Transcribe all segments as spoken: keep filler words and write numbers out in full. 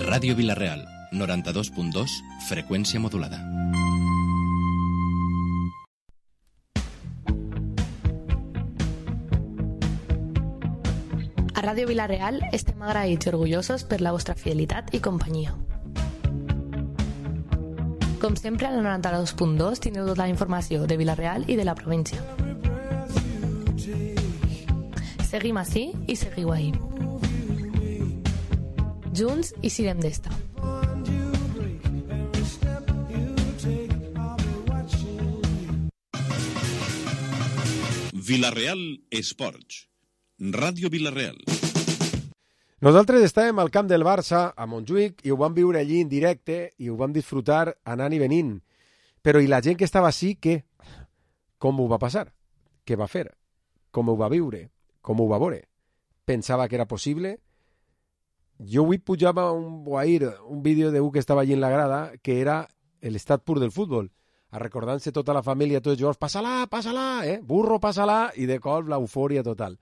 Ràdio Vila-real, noranta-dos punt dos, freqüència modulada. A Ràdio Vila-real estem agraïts i orgullosos per la vostra fidelitat i companyia. Com sempre, al noranta-dos punt dos tindreu tota la informació de Vila-real i de la província. Seguim ací i seguiu ahí. Junts i sirem d'esta. Vila-real Esports. Ràdio Vila-real. Nosaltres estàvem al camp del Barça, a Montjuïc, i ho vam viure allí en directe i ho vam disfrutar anant i venint. Però i la gent que estava així, què? Com ho va passar? Què va fer? Com ho va viure? Com ho va veure? Pensava que era possible? Jo avui pujava un guair, un vídeo d'un que estava allí en la grada, que era l'estat pur del futbol, a recordant-se tota la família, tots els jugadors, passa-la, passa-la, eh? Burro, passa-la, i de cop l'eufòria total.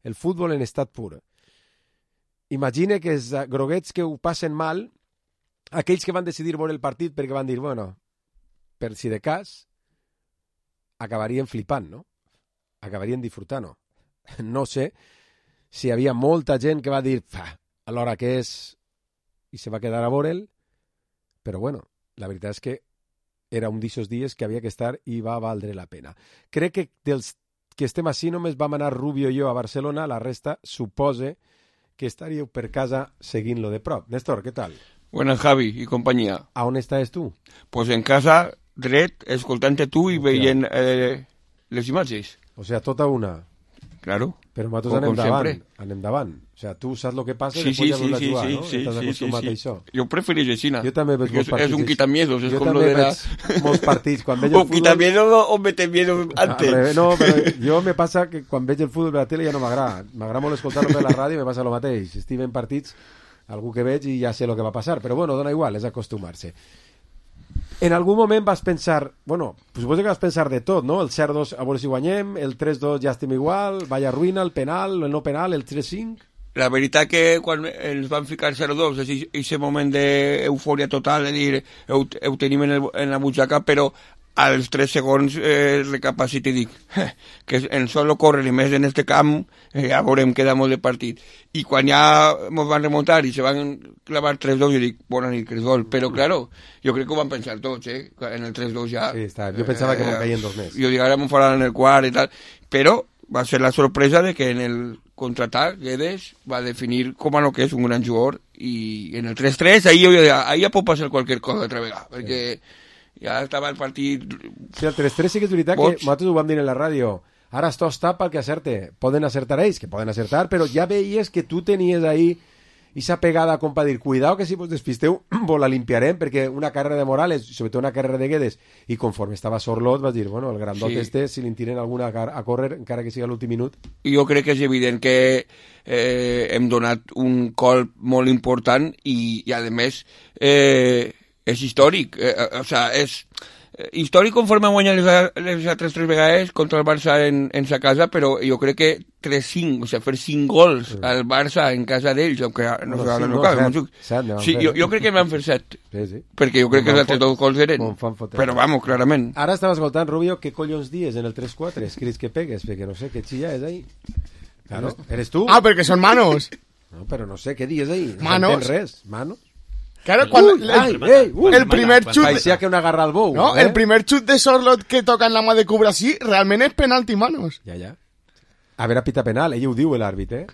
El futbol en estat pur. Imagina que els groguets que ho passen mal, aquells que van decidir veure el partit perquè van dir, bueno, per si de cas, acabarien flipant, no? Acabarien disfrutant, no? No sé si hi havia molta gent que va dir, a l'hora que és, i se va quedar a veure'l, però bueno, la veritat és que era un d'aquests dies que havia que estar i va valdre la pena. Crec que dels que estem així només vam anar Rubio i jo a Barcelona, la resta supose que estaríeu per casa seguint-lo de prop. Néstor, què tal? Buenas, Javi y compañía. ¿A on estàs tu? Pues en casa, dret, escoltant-te tu i veient eh, les imatges. O sea, tota una. Claro. Però nosaltres anem davant, anem davant. O sea, tu saps el que passa sí, i després sí, ja veus la sí, jugar, sí, no? sí, Estàs sí, acostumat sí, a sí. això. Jo prefereixo aixina. Jo també veig molts partits. És un quitamiedos. És jo com també lo de la... veig molts partits. Quan veig el futbol... O quitamiedos o mete miedo antes. No, però jo me passa que quan veig el futbol de la tele ja no m'agrada. M'agrada molt escoltar-lo per la ràdio i me passa el mateix. Estic en partits, algú que veig i ja sé el que va passar. Però bueno, dona igual, és acostumar-se. En algun moment vas pensar, bueno, suposo que vas pensar de tot, no? El zero dos a veure si guanyem, el tres dos ja estem igual, vaya ruïna, el penal, el no penal, el tres cinc... La veritat que quan ens van ficar zero dos, és aquest moment d'eufòria total, de dir, ho, ho tenim en, el, en la butxaca, però als tres segons eh, recapacito i dic eh, que en solo corren i més en este camp eh, ja veurem que damos de partit. I quan ja ens van remuntar i se van clavar tres dos, jo dic, bona nit, que és gol. Però, claro, jo crec que ho van pensar tots, eh? En el tres dos ja... Sí, està. Jo pensava eh, que me'n caien dos més. Jo dic, ara me'n faran en el quart i tal. Però va ser la sorpresa de que en el contraatac Guedes va definir com a lo que és un gran jugador i en el tres tres ahí, ahí ja pot passar qualsevol cosa altra vegada, perquè... Sí. Ja estava el partit... Sí, el tres tres sí que és veritat Boig. Que nosaltres ho vam dir en la ràdio. Ara esto està pel que acerte. Poden acertar ells, que poden acertar, però ja veies que tu tenies ahí esa pegada com per dir, cuidao que si vos despisteu vos la limpiarem, perquè una carrera de Morales, sobretot una carrera de Guedes, i conforme estava Sorlot vas dir, bueno, el grandot sí. este, si li tiren alguna a córrer, encara que sigui a l'últim minut. Jo crec que és evident que eh, hem donat un colp molt important i, i a més... Eh, és històric, eh, o sea, és eh, històric conforme guanyar les, les altres tres vegades contra el Barça en, en sa casa, però jo crec que tres cinc, o sea, fer cinc gols sí. al Barça en casa d'ells, aunque no no, no, no cal, no, set, sí, jo, jo crec que van fer set, sí, sí. perquè jo crec que els altres dos gols eren, però vamos, clarament. Ara estava escoltant, Rubio, què collons dies en el tres quatre, escrits que pegues, perquè no sé, què xilla és ahí? Claro, ¿eres tú? Ah, perquè són manos. No, però no sé, què dies ahí? Manos. No res, manos. Claro, cuando uy, ay, ey, uy, el primer chut parecía que una agarra al bou, no, eh? el primer chut de Sorlot que toca en la mà de Cubra así, realment és penalti, manos. Ja, ja. A veure, pita penal, ell ho diu l'àrbit, eh?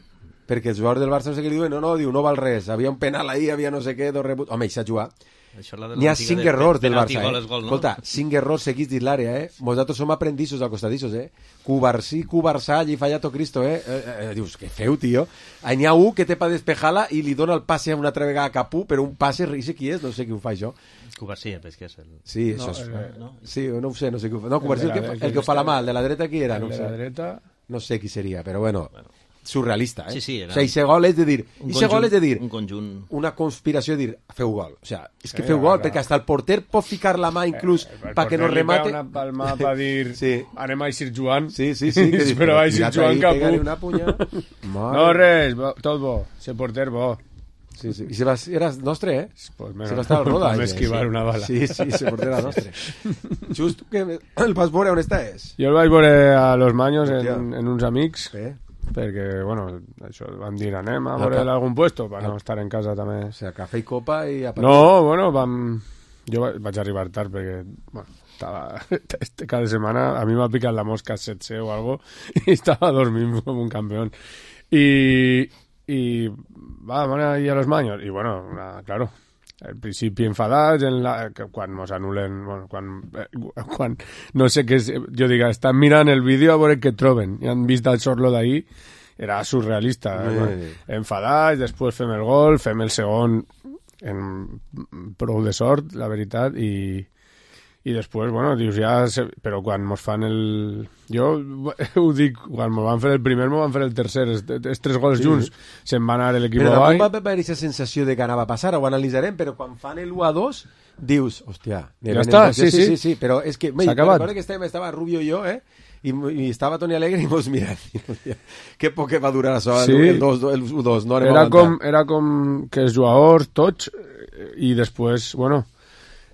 Perquè els jugadors del Barça no sé què li diuen, no, no, diu, no val res, havia un penal ahí, havia no sé què, dos rebuts... Home, i s'ha jugat. N'hi ha cinc errors del Barça, eh? Gol, no? Escolta, cinc errors seguits dins l'àrea, eh? Nosaltres som aprendissos acostadissos, eh? Cubarsí, Cubarsà, allí fallato Cristo, eh? Eh, eh? Dius, que feu, tio. N'hi ha un que té per despejar-la i li dona el passe una altra vegada a Capú, però un passe, no sé qui és, no sé qui ho fa això. Cubarsí, és que és el... Sí, això no, és... el, no? Sí, no ho sé, no sé qui ho fa. No, Cubarsí, el, el, que, el, el que ho fa la mà, el de la dreta qui era? El no de sé. la dreta... No sé qui seria, però bueno... bueno. Surrealista, eh? Sí, sí, era... O sigui, ese gol és de dir... Ese gol és de dir... Un conjunt... Una conspiració de dir, feu gol. O sigui, és que feu gol, perquè hasta el porter pot ficar la mà inclús eh, perquè no remate... El porter li pega una palma per dir, sí. Anem a eixir jugant. Sí, sí, sí. Que però a eixir jugant Capú. Una punya. No, res, bo, tot bo. Se porter bo. Sí, sí. I se va, era nostre, eh? Pues se va estar al roda. Vam esquivar sí. una bala. Sí, sí, se portera nostre. Just que el vas veure on estàs? Jo el vaig veure a Los Maños en, en uns amics, Sí. perquè, bueno, això van dir anem a Ah, veure clar. algun puesto per no estar en casa també. O sea, cafè i copa i... a partir- No, bueno, vam... Jo va- vaig arribar tard perquè, bueno, estava... Este cada setmana a mi m'ha picat la mosca set C o algo i estava dormint com un campeón. Y... y va, van a ir a Los Maños. Y bueno, una, claro, al principi enfadats, en la, que quan mos anulen, bueno, quan, eh, quan no sé què és, jo dic, estan mirant el vídeo a veure què troben, i han vist el sorlo d'ahir, era surrealista, Sí. eh? Enfadats, després fem el gol, fem el segon en prou de sort, la veritat, i i després, bueno, dius ja... Se... Però quan mos fan el... Jo ho dic, quan mos van fer el primer, mos van fer el tercer. Els, els tres gols Sí. junts se'n va anar l'equip Però avall. tampoc va haver aquesta sensació de que anava a passar, ho analitzarem, però quan fan el u a dos, dius, hòstia... Ja està, sí, sí, sí. sí, sí, però és que... S'ha acabat. Recordo que estava, estava Rubio i jo, eh? I, i estava Toni Alegre i mos mirant. Que poc que va durar això, Sí. el, el, dos, el u dos, no anem a Era aguantar. com, era com que els jugadors, tots, i després, bueno,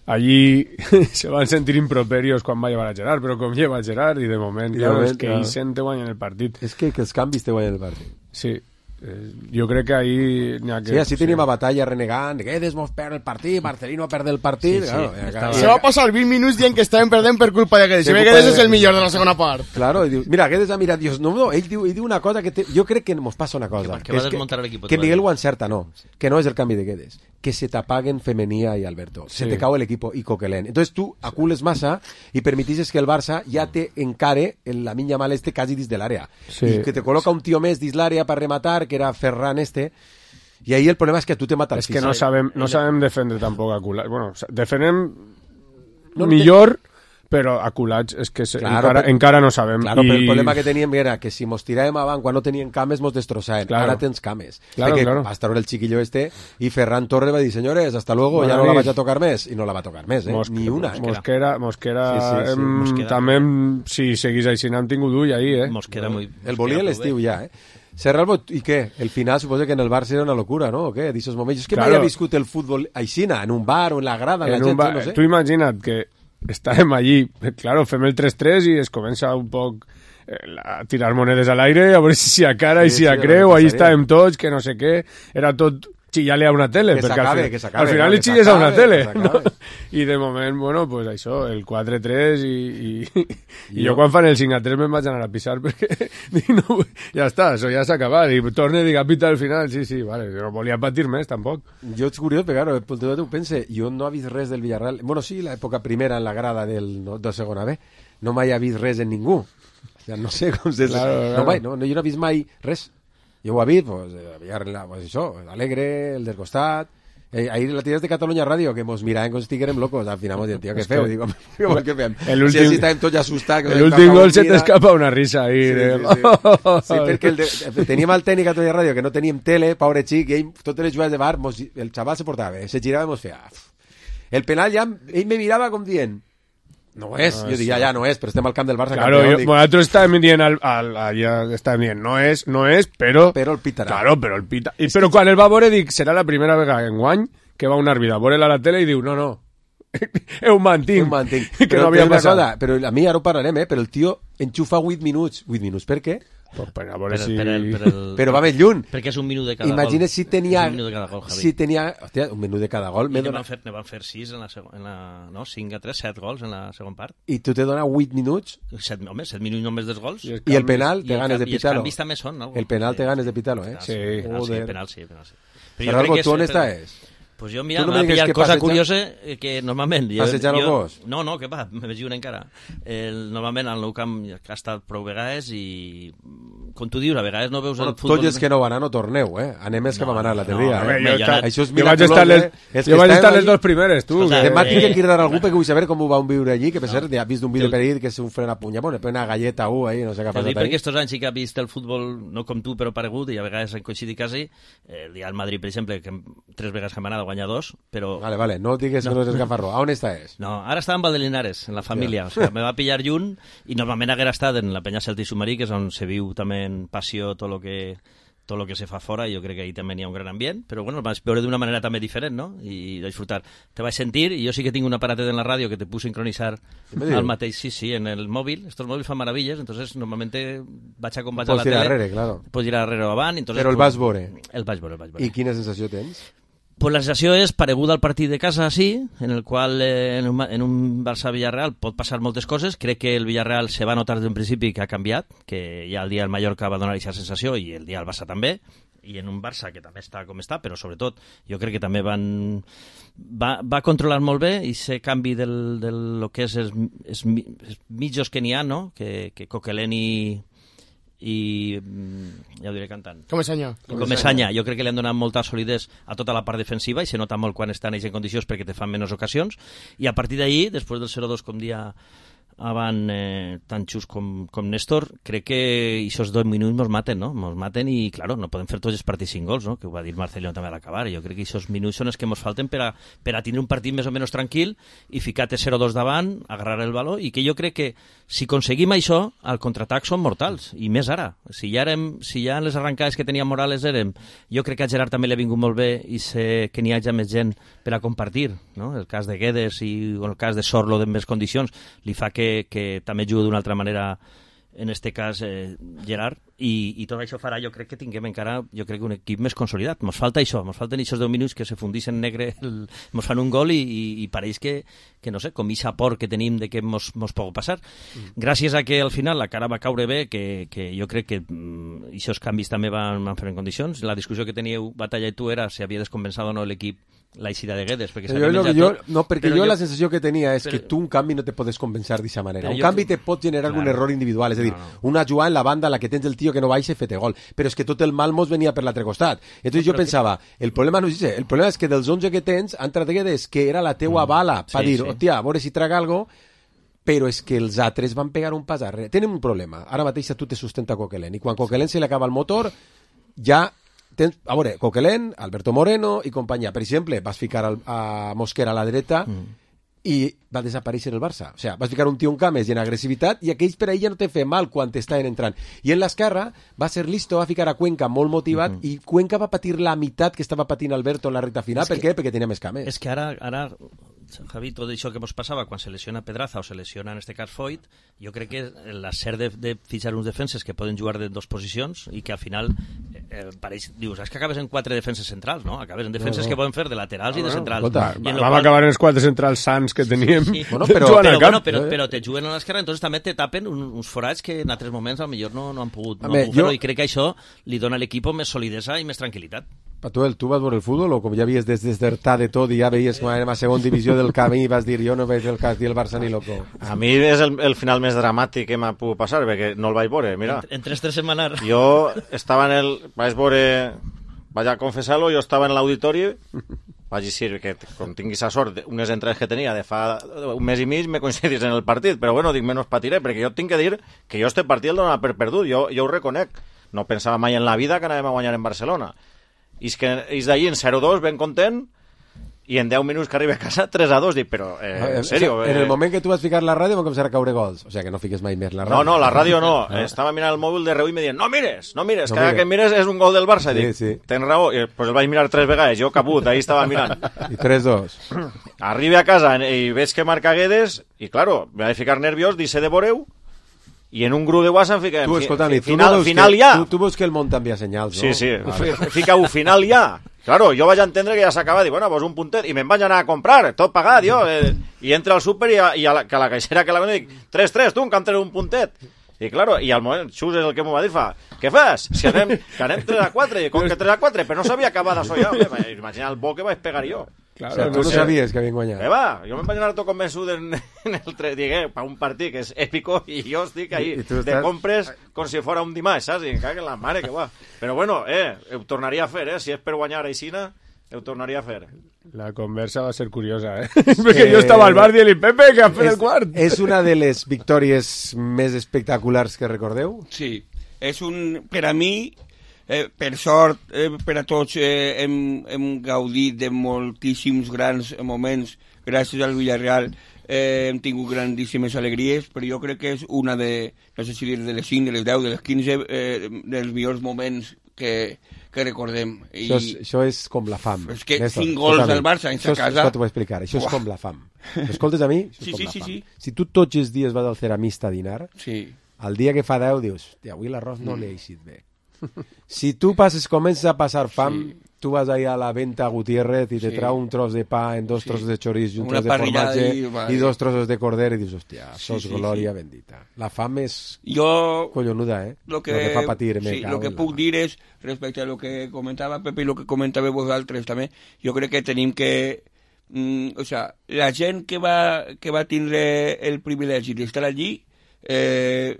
allí se van sentir improperios quan va llevar a Gerard, però com lleva a Gerard, i de moment, I de claro, moment, és que clar. ell sent guanya el partit. És que, que els canvis te guanyen el partit. Sí, eh, jo crec que ahí n'hi ha que... Sí, així tenim a Batalla renegant, Guedes mos perd el partit, Marcelino perd el partit... Sí, sí, claro, estava- Se va passar vint minuts dient que estaven perdent per culpa de Guedes. Per Si ve culpa Guedes de- és el millor de la segona part. Claro, i diu, mira, Guedes ha mirat, dius, no, no, ell diu, ell diu una cosa que te, jo crec que mos passa una cosa. Que va És desmuntar l'equip, Que te va Miguel dir. ho encerta, no, que no és el canvi de Guedes, que se t'apaguen Femenía y Alberto, se Sí. te cau el equipo y Coquelin. Entonces tú acules massa y permitixes que el Barça ja te encare en la minya mal este quasi dins de l'àrea. Sí. I que te col·loca un tio més dins l'àrea per rematar, que era Ferran este, i ahí el problema és que a tu te mata el És que no físic. sabem, no sabem defendre tampoc a culats. Bueno, defenem No, millor, però a culats és que se, Claro, encara, però- encara no sabem. Claro, I... però el problema que teníem era que si mos tiràvem avant quan no tenien cames mos destrossaven. Claro. Ara tens cames. Claro, Perquè claro. va estar el chiquillo este y Ferran Torre va dir, señores, hasta luego, Bona ya no la nit. vaig a tocar més. I no la va tocar més, eh? Mos- Ni una. Mosquera, Mosquera, Sí, sí, sí, hem, Mosquera. també, hem, si seguís així, n'hem tingut ull ahir, eh? Mosquera muy... El volia a l'estiu ja, eh? Serralbo, i què? El final suposo que en el Barça era una locura, ¿no? O què? D'ixos moments. És que Claro. mai he viscut el futbol aixina, en un bar o en la grada, en la En gent, un ba- no sé. Tu imagina't que estàvem allí, claro, fem el tres tres i es comença un poc eh, a tirar monedes a l'aire, a veure si s'hi acara i Sí, si sí, a el creu, que allí passaria. estàvem tots, que no sé què, era tot xillar-li a una tele, Que perquè s'acabe, al, fi- que s'acabe, al final no, li que xilles a una s'acabe, tele, que no? s'acabe. I de moment, bueno, pues això, el quatre tres i, i, i Jo- jo quan fan el cinc a tres me'n vaig anar a pisar perquè dic, no, ja està, això ja s'ha acabat i torne i dic a pitar al final, sí, sí, vale, jo no volia patir més tampoc. Jo ets curiós, perquè claro, pel teu ho pense, jo no he vist res del Villarreal. Bueno, sí, l'època primera en la grada del, no, de segona B, no mai he vist res en ningú. O sea, no sé com se... Claro, no, claro. mai, no, no, jo no he vist mai res. Jo ho he vist, pues, eh, Villarreal, pues això, Alegre, el del costat... Eh, ahir la tires de Catalunya Ràdio, que mos miraven com si estiguérem locos. Al final mos diuen, tio, què És feu? que- Digo, digo, què fem? El Si últim- així estàvem tots assustats. que El ens últim cagau gol en se vida. t'escapa una risa ahí. Sí, de... sí, sí. Sí, perquè el de, teníem el tècnic a Catalunya Ràdio, que no teníem tele, pobre xic, i ell, totes les jugades de bar, mos, el xaval se portava bé, se girava i mos feia... "Uf". El penal ja, ell me mirava com dient, no és, No jo és, dic, ja, ja, no és, però estem al camp del Barça Claro, campió, yo, dic, nosaltres estàvem dient, al, al, allà estàvem dient, no és, no és, però... però el pitarà. Claro, però el pita... I, però quan el va veure, dic, serà la primera vegada en guany que va un àrbitre a veure-la a la tele i diu, no, no, ho mantinc. Un mantinc. Que Però no havia té una passat. cosa, però a mi ara ho parlarem, eh? Però el tio enxufa vuit minuts. vuit minuts, per què? Pues per a Per, veure si... per, el, per el, Però va més lluny. Perquè és un minut de cada Imagina gol. si tenia... És un minut de cada gol, Javi. si tenia... Hòstia, un minut de cada gol. I m'he ne van, donat... fer, ne van fer sis en la, segon, en la... No, cinc a tres, set gols en la segona part. I tu te dona vuit minuts Set, home, set minuts només dels gols. I I, els i el canvis- penal te el ganes de canvi- els pitar-lo. canvis també són. Algo. El penal te ganes de pitar-lo, eh? Sí. Penal, sí, Joder. penal, sí, penal, sí. Però algo, crec que tu on és- estàs? Pues jo, mira, Tu no m'ha me digues pillat que cosa passeja- curiosa eh, que normalment... Jo, Passejant el jo, gos? No, no, que va, me veig una encara. El, normalment al Nou Camp ha estat prou vegades i, com tu dius, a vegades no veus Bueno, el futbol... tots els que no van anar no torneu, eh? Anem els que No, vam anar no, l'altre dia, no, eh? Home, jo, jo esta- no- Això és jo vaig estar miraculós, les, eh? Els jo que vaig estàvem estar les allí- dos primeres, tu. Escolta, que- Demà Eh, tinc que cridar algú perquè vull saber com ho va viure allí, que per cert, ja he vist un vídeo El- per ahir que se un fren a punya, bueno, una galleta u ahí, no sé què ha T'ho dic passat perquè ahí. estos anys sí que ha vist el futbol, no com tu, però paregut, i a vegades han coincidit quasi. Eh, el dia del Madrid, per exemple, que tres vegades que hem anat a guanyar dos, però... Vale, vale, no digues que no és gafarró. A on estàs? No, ara estava amb Valdelinares, en la família. O sigui, me va pillar lluny i normalment haguera estat en la penya Celta i Submarí, que és on se viu també en passió tot el que tot el que se fa fora, jo crec que ahir també n'hi ha un gran ambient, però bueno, el vaig veure d'una manera també diferent, no? I disfrutar. Te vaig sentir, i jo sí que tinc un aparatet en la ràdio que te puc sincronitzar al mateix, sí, sí, en el mòbil. Estos mòbils fan maravilles, entonces normalmente vaig a com vaig a la tele. Pots tirar darrere, claro. Pots tirar darrere o avant. Entonces, però el vas veure. El vaig veure, el vaig veure. I quina sensació tens? Pues la sensació és pareguda al partit de casa, sí, en el qual eh, en, un, en un Barça-Villarreal pot passar moltes coses. Crec que el Villarreal se va notar des d'un principi que ha canviat, que ja el dia el Mallorca va donar aquesta sensació i el dia el Barça també, i en un Barça que també està com està, però sobretot jo crec que també van va, va controlar molt bé i ese canvi del, del lo que és els, els, els mitjos que n'hi ha, no? que, que Coquelin i i ja ho diré cantant Comesaña. Comesaña, jo crec que li han donat molta solidesa a tota la part defensiva i se nota molt quan estan ells en condicions perquè te fan menys ocasions, i a partir d'ahir, després del zero dos com dia avant eh, tan xus com, com Néstor, crec que aquests dos minuts mos maten, no? Mos maten i, claro, no podem fer tots els partits cinc gols, no? Que ho va dir Marcelino també a l'acabar. Jo crec que aquests minuts són els que mos falten per a, per a tindre un partit més o menys tranquil i ficar-te zero dos davant, agarrar el baló, i que jo crec que si aconseguim això, el contraatac són mortals, i més ara. Si ja, érem, si ja en les arrancades que tenia Morales érem, jo crec que a Gerard també li ha vingut molt bé i sé que n'hi hagi més gent per a compartir, no? El cas de Guedes i el cas de Sorlo en més condicions li fa que que també juga d'una altra manera en este cas eh, Gerard, i, i tot això farà, jo crec que tinguem encara, jo crec que un equip més consolidat. Mos falta això, mos falten aquests deu minuts que se fundissin en negre, el, mos fan un gol i, i, i pareix que, que no sé, com ixa por que tenim de que mos, mos pugui passar. Mm. Gràcies a que al final la cara va caure bé, que, que jo crec que mm, aquests canvis també van, van fer en condicions. La discussió que teníeu, Batalla i tu, era si havia descompensat o no l'equip la eixida de Guedes, perquè jo, jo, jo, no, perquè jo, jo la sensació que tenia és però, que tu un canvi no te podes compensar d'aquesta manera. Un canvi te pot generar claro, algun error individual, és a dir, no, no. una jugada en la banda en la que tens el tio que no baixa i fete gol, però és que tot el mal mos venia per l'altre costat. Entonces no, jo pensava, que... el problema no és això, el problema és que dels onze que tens, han entrat Guedes, que era la teua mm, bala, per sí, dir, sí. hòstia, a veure si traga algo, però és que els altres van pegar un pas arrere. Tenen un problema, ara mateix tu te sustenta Coquelin, i quan Coquelin se li acaba el motor, ja... Tens, a veure, Coquelin, Alberto Moreno i companyia. Per exemple, vas ficar al, a Mosquera a la dreta mm. i va desaparèixer el Barça. O sigui, vas ficar un tio en cames i en agressivitat i aquells per ahir ja no te fe mal quan t'estaven entrant. I en l'esquerra va ser listo, va ficar a Cuenca molt motivat mm -hmm. i Cuenca va patir la meitat que estava patint Alberto en la recta final. És per que, què? Perquè tenia més cames. És que ara, ara Javi, tot això que ens passava quan se lesiona Pedraza o se lesiona en este cas Foyt, jo crec que l'acer de, de fitxar uns defenses que poden jugar de dos posicions i que al final eh, pareix, dius, és que acabes en quatre defenses centrals, no? Acabes en defenses no, no. que poden fer de laterals no, i de centrals. Escolta, I vam qual... acabar en els quatre centrals sants que teníem. Sí, sí. Bueno, però, però, bueno, però, però te juguen a l'esquerra, entonces també te tapen un, uns forats que en altres moments potser no, no han pogut, no han pogut jo... fer-ho, i crec que això li dona a l'equip més solidesa i més tranquil·litat. Patuel, tu vas veure el futbol o com ja havies des desertar de tot i ja veies que anem a segona divisió del camí i vas dir jo no veig el cas del Barça ni loco? A mi és el, el final més dramàtic que m'ha pogut passar perquè no el vaig veure, mira. En, en tres tres setmanes. Jo estava en el... vaig veure... vaig a confessar-lo, jo estava en l'auditori, vaig dir que com tinguis la sort, unes entrades que tenia de fa un mes i mig me coincidís en el partit, però bueno, dic, menys patiré, perquè jo tinc que dir que jo este partit el donava per perdut, jo, jo ho reconec. No pensava mai en la vida que anàvem a guanyar en Barcelona. I és que és d'allí en zero dos ben content i en deu minuts que arriba a casa tres a dos, dic, però eh, en sèrio en eh... el moment que tu vas ficar la ràdio van començar a caure gols, o sigui que no fiques mai més la ràdio. No, no, la ràdio no, eh? Estava mirant el mòbil de reu i me diuen, no mires, no mires, no cada mires. que mires és un gol del Barça, sí, dic, sí. Tens raó, i pues el vaig mirar tres vegades, jo caput, ahí estava mirant i tres dos arriba a casa i veig que marca Guedes i claro, me vaig ficar nerviós, dice de voreu i en un grup de WhatsApp fica tu, escolta, fi, final, tu final que, ja tu, tu veus que el món t'envia senyals, no? Sí, sí, vale. Fica-ho final ja. Claro, jo vaig entendre que ja s'acaba, dic, bueno, pues un puntet, i me'n vaig anar a comprar, tot pagat, jo, eh, i entra al súper i, a, i a la, que a la caixera que la venia dic, tres tres, tu, que em treus un puntet. I claro, i al moment, Xus és el que m'ho va dir, fa, què fas? Si anem, que anem tres a quatre, i com que tres a quatre, però no sabia acabar d'això ja, imagina el bo que vaig pegar jo. Claro, o sea, tu no sabies que havien guanyat. Eh, va, jo me'n vaig anar tot convençut en, en el tres, digué, per un partit que és èpico i jo estic ahí, I, i de estàs... compres com si fora un dimarts, saps? I em cague la mare que va. Però bueno, eh, ho tornaria a fer, eh, si és per guanyar a Aixina, ho tornaria a fer. La conversa va ser curiosa, eh? Perquè eh... jo estava al bar dient-li, Pepe, que ha fet el quart. És una de les victòries més espectaculars que recordeu? Sí, és un... Per a mi... Eh, per sort, eh, per a tots eh, hem, hem gaudit de moltíssims grans moments gràcies al Villarreal, eh, hem tingut grandíssimes alegries, però jo crec que és una de, no sé si dir de les cinc, de les deu, de les quinze, eh, dels millors moments que, que recordem. I... Això, és, això és com la fam. És que Néstor, cinc gols escolta, del Barça en sa això és, casa... Això t'ho vull explicar, això és Uah. com la fam. Escoltes a mi? Això és Sí, com sí, la sí, fam. sí. Si tu tots els dies vas al ceramista a dinar, Sí. el dia que fa deu dius, hòstia, avui l'arròs no l'he eixit bé. Si tu passes, comences a passar fam, Sí. tu vas ahí a la venta a Gutiérrez i te Sí. trau un tros de pa en dos Sí. trossos de chorizo i un Una tros de parrillada formatge i, vale. i dos trossos de corder i dius, hòstia, Sí, això és sí, glòria sí. bendita. La fam és Jo... collonuda, eh? Lo que, Lo que fa patir, me sí, cago lo que en la puc mar. dir és, respecte a lo que comentava Pepe i lo que comentàveu vosaltres també, jo crec que tenim que... Mm, o sea, la gent que va, que va tindre el privilegi d'estar allí, eh,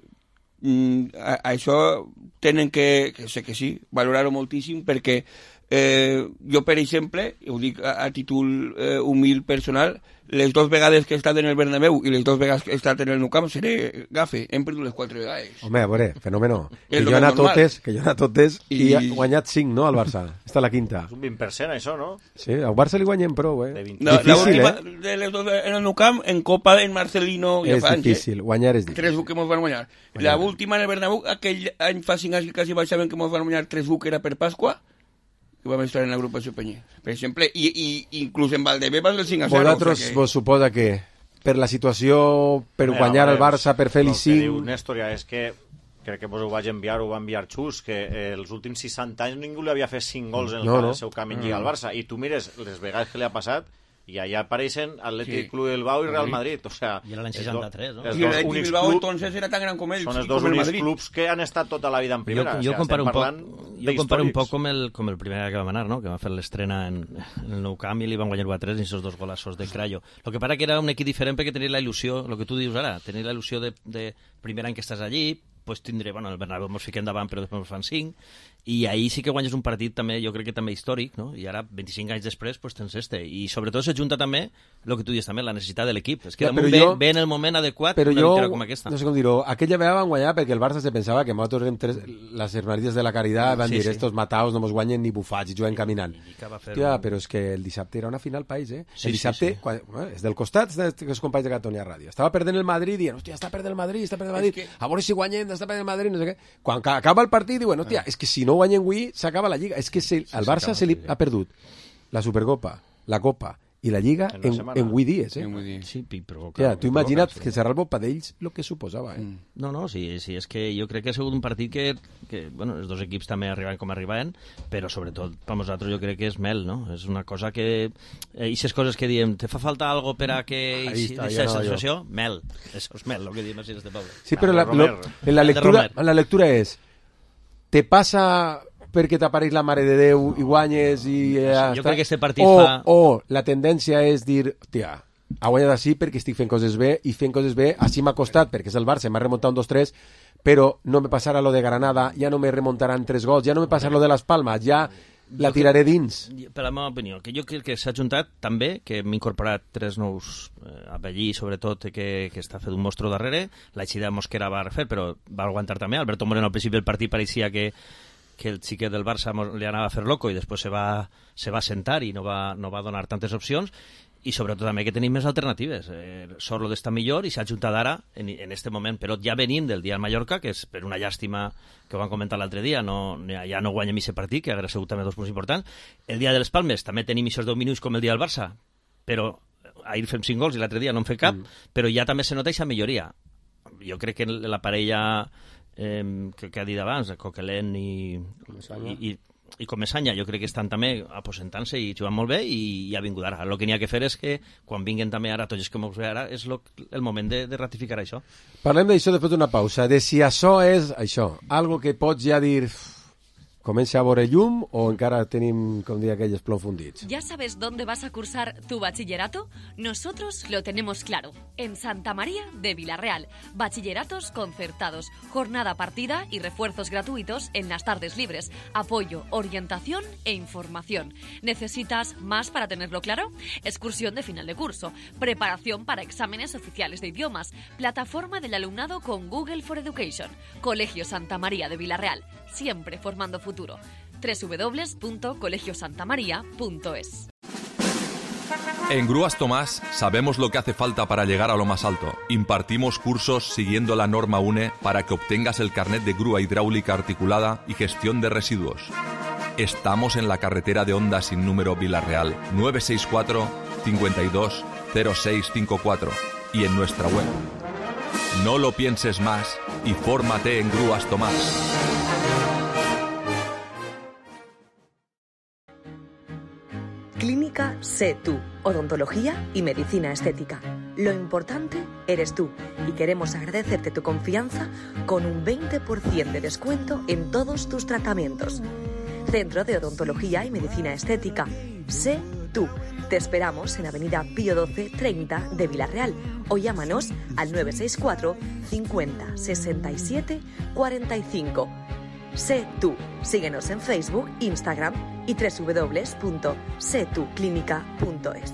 mm, a, a això tenen que, que sé que sí, valorar-ho moltíssim, perquè eh, jo, per exemple, ho dic a, a títol eh, humil personal, les dues vegades que he estat en el Bernabéu i les dues vegades que he estat en el Nou Camp seré gafe, hem perdut les quatre vegades. Home, a veure, fenòmeno. Que És lo jo he anat més normal. totes, que jo he anat totes i, I- ha guanyat cinc, no, al Barça. Esta la quinta. És un vint per cent, això, no? Sí, al Barça li guanyem prou, eh? De vint. No, la Difícil, última eh? de les dos en el Nou Camp, en Copa, en Marcelino, ja És fa anys, eh? difícil, guanyar és difícil. tres u que mos van guanyar. La última en el Bernabéu, aquell any fa cinc anys que quasi baixaven que mos van guanyar tres u, que era per Pasqua, que vam estar en l'agrupació Penyer, per exemple, i, i inclús en Valdebé van del cinc a zero. Vosaltres o sea que... vos suposa que per la situació, per Home, guanyar a el veure, Barça, per fer-li el que diu cinc... Néstor ja és que crec que vos ho vaig enviar, ho va enviar Xus, que eh, els últims seixanta anys ningú li havia fet cinc gols en el, No, no, no. el seu camí en Lliga al Barça, i tu mires les vegades que li ha passat i allà apareixen Atlètic Sí. Club de Bilbao i Real Madrid, o sea, I era l'any els seixanta-tres, no? els I dos el únics Bilbao clubs entonces era tan gran com ells. són els i dos com el únics Madrid. clubs que han estat tota la vida en Jo, primera. jo, o sea, comparo un estem poc, parlant jo comparo un d'històrics. poc com el, com el primer que vam anar, no? Que va fer l'estrena en, en el Nou Camp i li van guanyar u a tres i esos dos golassos de Crayo. Lo que para que era un equip diferent perquè tenia la il·lusió, el que tu dius ara, tenia la il·lusió de, de primer any que estàs allí, pues tindré, bueno, el Bernabéu mos fiquem davant però després mos fan cinc, i ahir sí que guanyes un partit també, jo crec que també històric, no? I ara, vint-i-cinc anys després, pues tens este. I sobretot se junta també, el que tu dius també, la necessitat de l'equip. És que Ja, damunt però ve, jo- ve en el moment adequat Però una jo, victòria com aquesta. no sé com dir-ho, aquella vegada van guanyar perquè el Barça se pensava que nosaltres érem tres, les hermanitas de la Caritat, van Sí, dir, sí. estos mataos no mos guanyen ni bufats i juguen caminant. I que va fer Hòstia, un- però és que el dissabte era una final país, eh? Sí, el dissabte, sí, sí. Quan, bueno, és del costat dels companys de Catalunya Ràdio. Estava perdent el Madrid, dient, hòstia, està perdent el Madrid, està perdent el Madrid, És que- a veure si guanyem, està perdent el Madrid, no sé què. Quan ca- acaba el partit, diuen, hòstia, és que si no guanyem avui, s'acaba la Lliga. És que se, al Barça se li ha perdut la Supercopa, la Copa i la Lliga En una en, setmana. en vuit dies, eh? Sí, vull dir. Sí, pi- però... Ja, clar, tu però imagina't clar, que serà el bo per ells el que suposava, eh? No, no, sí, sí, és que jo crec que ha sigut un partit que, que bueno, els dos equips també arribaven com arribaven, però sobretot per nosaltres jo crec que és mel, no? És una cosa que... Eh, Ixes coses que diem, te fa falta algo per a que Ahí ixi- està, aquesta ja no, sensació? Mel. Això és mel, el que diem així este poble. Sí, però la, de lo, Romer. en, la El de lectura, Romer. en la lectura és te passa perquè t'apareix la Mare de Déu i guanyes i ja Jo està? crec que este partit o, fa- o la tendència és dir, hòstia, ha guanyat així perquè estic fent coses bé i fent coses bé, així m'ha costat perquè és el Barça, m'ha remuntat un dos tres, però no me passarà lo de Granada, ja no me remuntaran tres gols, ja no me passarà lo de les Palmes, ja la tiraré dins. Per la meva opinió, que jo crec que s'ha juntat també, que hem incorporat tres nous eh, Abellí, sobretot, que, que està fet un mostro darrere, la eixida de Mosquera va refer, però va aguantar també, Alberto Moreno al principi del partit pareixia que que el xiquet del Barça mos- li anava a fer loco i després se va, se va sentar i no va, no va donar tantes opcions, i sobretot també que tenim més alternatives. Eh, Sorlo està millor i s'ha juntat ara en, en este moment, però ja venim del dia al Mallorca, que és per una llàstima que ho van comentar l'altre dia, no, ja no guanyem aquest partit, que hauria sigut també dos punts importants. El dia de les Palmes també tenim aquests deu minuts com el dia del Barça, però ahir fem cinc gols i l'altre dia no en fem cap, mm. però ja també se nota aquesta milloria. Jo crec que la parella eh, que, que ha dit abans, Coquelin i, i, i, i Comesaña, jo crec que estan també aposentant-se i jugant molt bé i, i ha vingut ara. El que n'hi ha que fer és que quan vinguen també ara tots els que mos ve ara és lo, el moment de, de ratificar això. Parlem d'això després d'una pausa, de si això és això, algo que pots ja dir comença a veure llum o encara tenim, com dir, aquells plom fundits. ¿Ya sabes dónde vas a cursar tu bachillerato? Nosotros lo tenemos claro. En Santa María de Villarreal. Bachilleratos concertados, jornada partida y refuerzos gratuitos en las tardes libres. Apoyo, orientación e información. ¿Necesitas más para tenerlo claro? Excursión de final de curso. Preparación para exámenes oficiales de idiomas. Plataforma del alumnado con Google for Education. Colegio Santa María de Villarreal. Siempre formando futuro. doble u doble u doble u punto colegio santa maría punto es. En Grúas Tomás sabemos lo que hace falta para llegar a lo más alto. Impartimos cursos siguiendo la norma U N E para que obtengas el carnet de grúa hidráulica articulada y gestión de residuos. Estamos en la carretera de Honda sin número Vila-real, nueve seis cuatro, cincuenta y dos, cero seis cincuenta y cuatro y en nuestra web. No lo pienses más y fórmate en Grúas Tomás. Clínica Sé Tú, odontología y medicina estética. Lo importante eres tú y queremos agradecerte tu confianza con un veinte por ciento de descuento en todos tus tratamientos. Centro de Odontología y Medicina Estética. Sé Tú. Te esperamos en Avenida Pío doce treinta de Vila-real o llámanos al nueve seis cuatro, cincuenta, sesenta y siete, cuarenta y cinco. Sé Tú. Síguenos en Facebook, Instagram y doble u doble u doble u punto sé tú clínica punto es.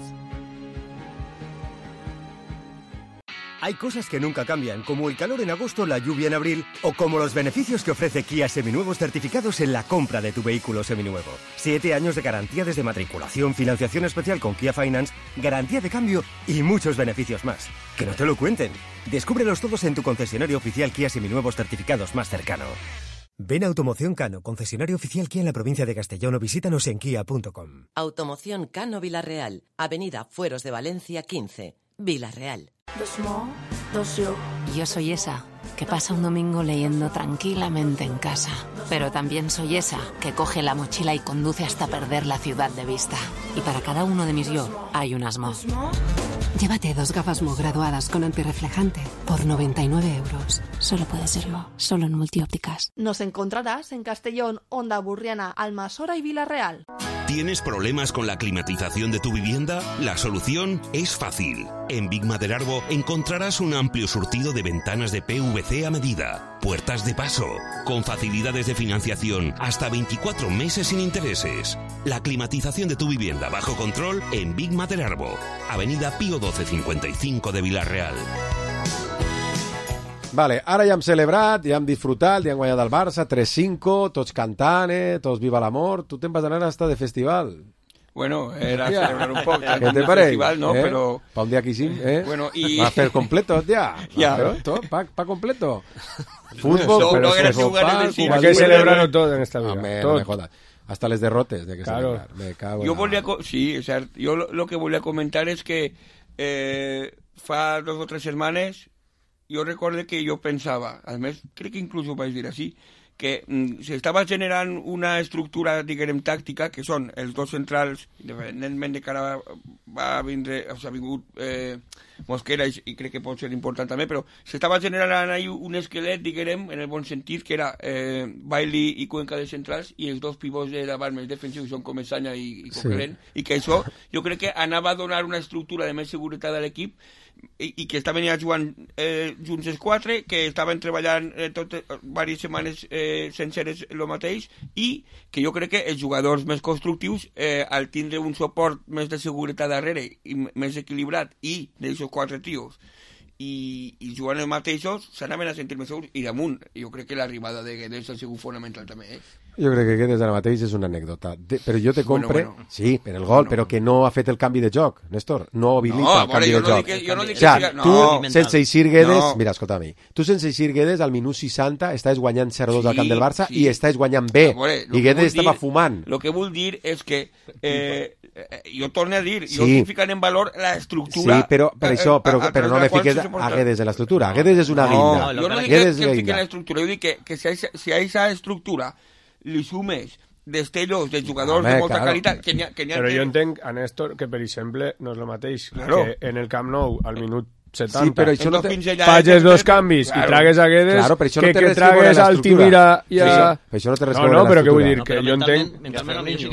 Hay cosas que nunca cambian, como el calor en agosto, la lluvia en abril, o como los beneficios que ofrece Kia Seminuevos certificados en la compra de tu vehículo seminuevo. Siete años de garantía desde matriculación, financiación especial con Kia Finance, garantía de cambio y muchos beneficios más. Que no te lo cuenten. Descúbrelos todos en tu concesionario oficial Kia Seminuevos certificados más cercano. Ven a Automoción Cano, concesionario oficial Kia en la provincia de Castellón, o visítanos en kia punto com. Automoción Cano Vila-real, Avenida Fueros de Valencia quince, Vila-real. Yo soy esa que pasa un domingo leyendo tranquilamente en casa. Pero también soy esa que coge la mochila y conduce hasta perder la ciudad de vista. Y para cada uno de mis yo hay un Asmo. Llévate dos gafas Mo graduadas con antirreflejante por noventa y nueve euros. Solo puede ser Mo, solo en Multiópticas. Nos encontrarás en Castellón, Onda Burriana, Almasora y Vila-real. ¿Tienes problemas con la climatización de tu vivienda? La solución es fácil. En Big Maderarbo encontrarás un amplio surtido de ventanas de P V C a medida, puertas de paso, con facilidades de financiación hasta veinticuatro meses sin intereses. La climatización de tu vivienda bajo control en Big Maderarbo, Avenida Pío doce cincuenta y cinco de Vila-real. Vale, ara ja hem celebrat, ja hem disfrutat, ja hem guanyat el Barça, tres cinco, tots cantant, eh? Tots viva l'amor. Tu te'n vas anar hasta de festival. Bueno, era Hòstia. celebrar un poc. ¿Qué te parece? Festival, no, ¿Eh? pero... Pa un día que hicimos, ¿eh? Bueno, y... Va a hacer completo ya. Ya. Claro, todo, pa, pa completo. Fútbol, no, pero no es jugar sí, hay que celebrarlo todo en esta vida. Hombre, todo. no me jodas. Hasta les derrotes de que claro. celebrar. Me cago en Yo la... volví a... Sí, o sea, yo lo, lo que volví a comentar es que eh, fa dos o tres setmanes jo recordo que jo pensava, a més, crec que inclús ho vaig dir així, que mm, s'estava generant una estructura, diguem, tàctica, que són els dos centrals, independentment de que ara va vindre, o sigui, ha vingut eh, Mosquera, i, i crec que pot ser important també, però s'estava generant ahí un esquelet, diguem, en el bon sentit, que era eh, Bailey i Cuenca de centrals, i els dos pivots de davant més defensius són Comesaña i, i Coquelin, sí. I que això jo crec que anava a donar una estructura de més seguretat a l'equip, i, i que estaven ja jugant eh, junts els quatre, que estaven treballant eh, totes, diverses setmanes eh, senceres el mateix, i que jo crec que els jugadors més constructius, eh, al tindre un suport més de seguretat darrere i més equilibrat, i d'aixòs quatre tios, i, i jugant els mateixos, s'anaven a sentir més segurs, i damunt, jo crec que l'arribada de Guedes ha sigut fonamental també, eh? Jo crec que Guedes ara mateix és una anècdota. De, però jo te compre... Bueno, bueno. Sí, per el gol, bueno. però que no ha fet el canvi de joc, Néstor. No habilita no, el canvi jo de no joc. Que, jo no dic o sea, que... tu, no. sense eixir Guedes... No. Mira, escolta a mi. Tu, sense eixir Guedes, al minut seixanta, estàs guanyant zero dos sí, al camp del Barça sí. i estàs guanyant bé. Veure, I Guedes estava dir, fumant. El que vull dir és que... Eh, jo torno a dir, sí. jo estic ficant en valor l'estructura... Sí, però per això, però, a, a, però no me fiques a Guedes en l'estructura. Guedes és una guinda. No, jo no dic que, que em fiquen en l'estructura, jo dic que, que si, a, si a aquesta estructura li sumes destellos de jugadors Home, de molta claro. qualitat que n'hi ha, que n'hi ha però que... jo entenc a Néstor que per exemple no és el mateix claro. que en el Camp Nou al minut setanta sí, però això no te... fages dos canvis claro. i tragues a Guedes claro, però això no que, té que tragues al Timira i a... Sí, però això no té res no, no, però què vull dir? No, que jo entenc...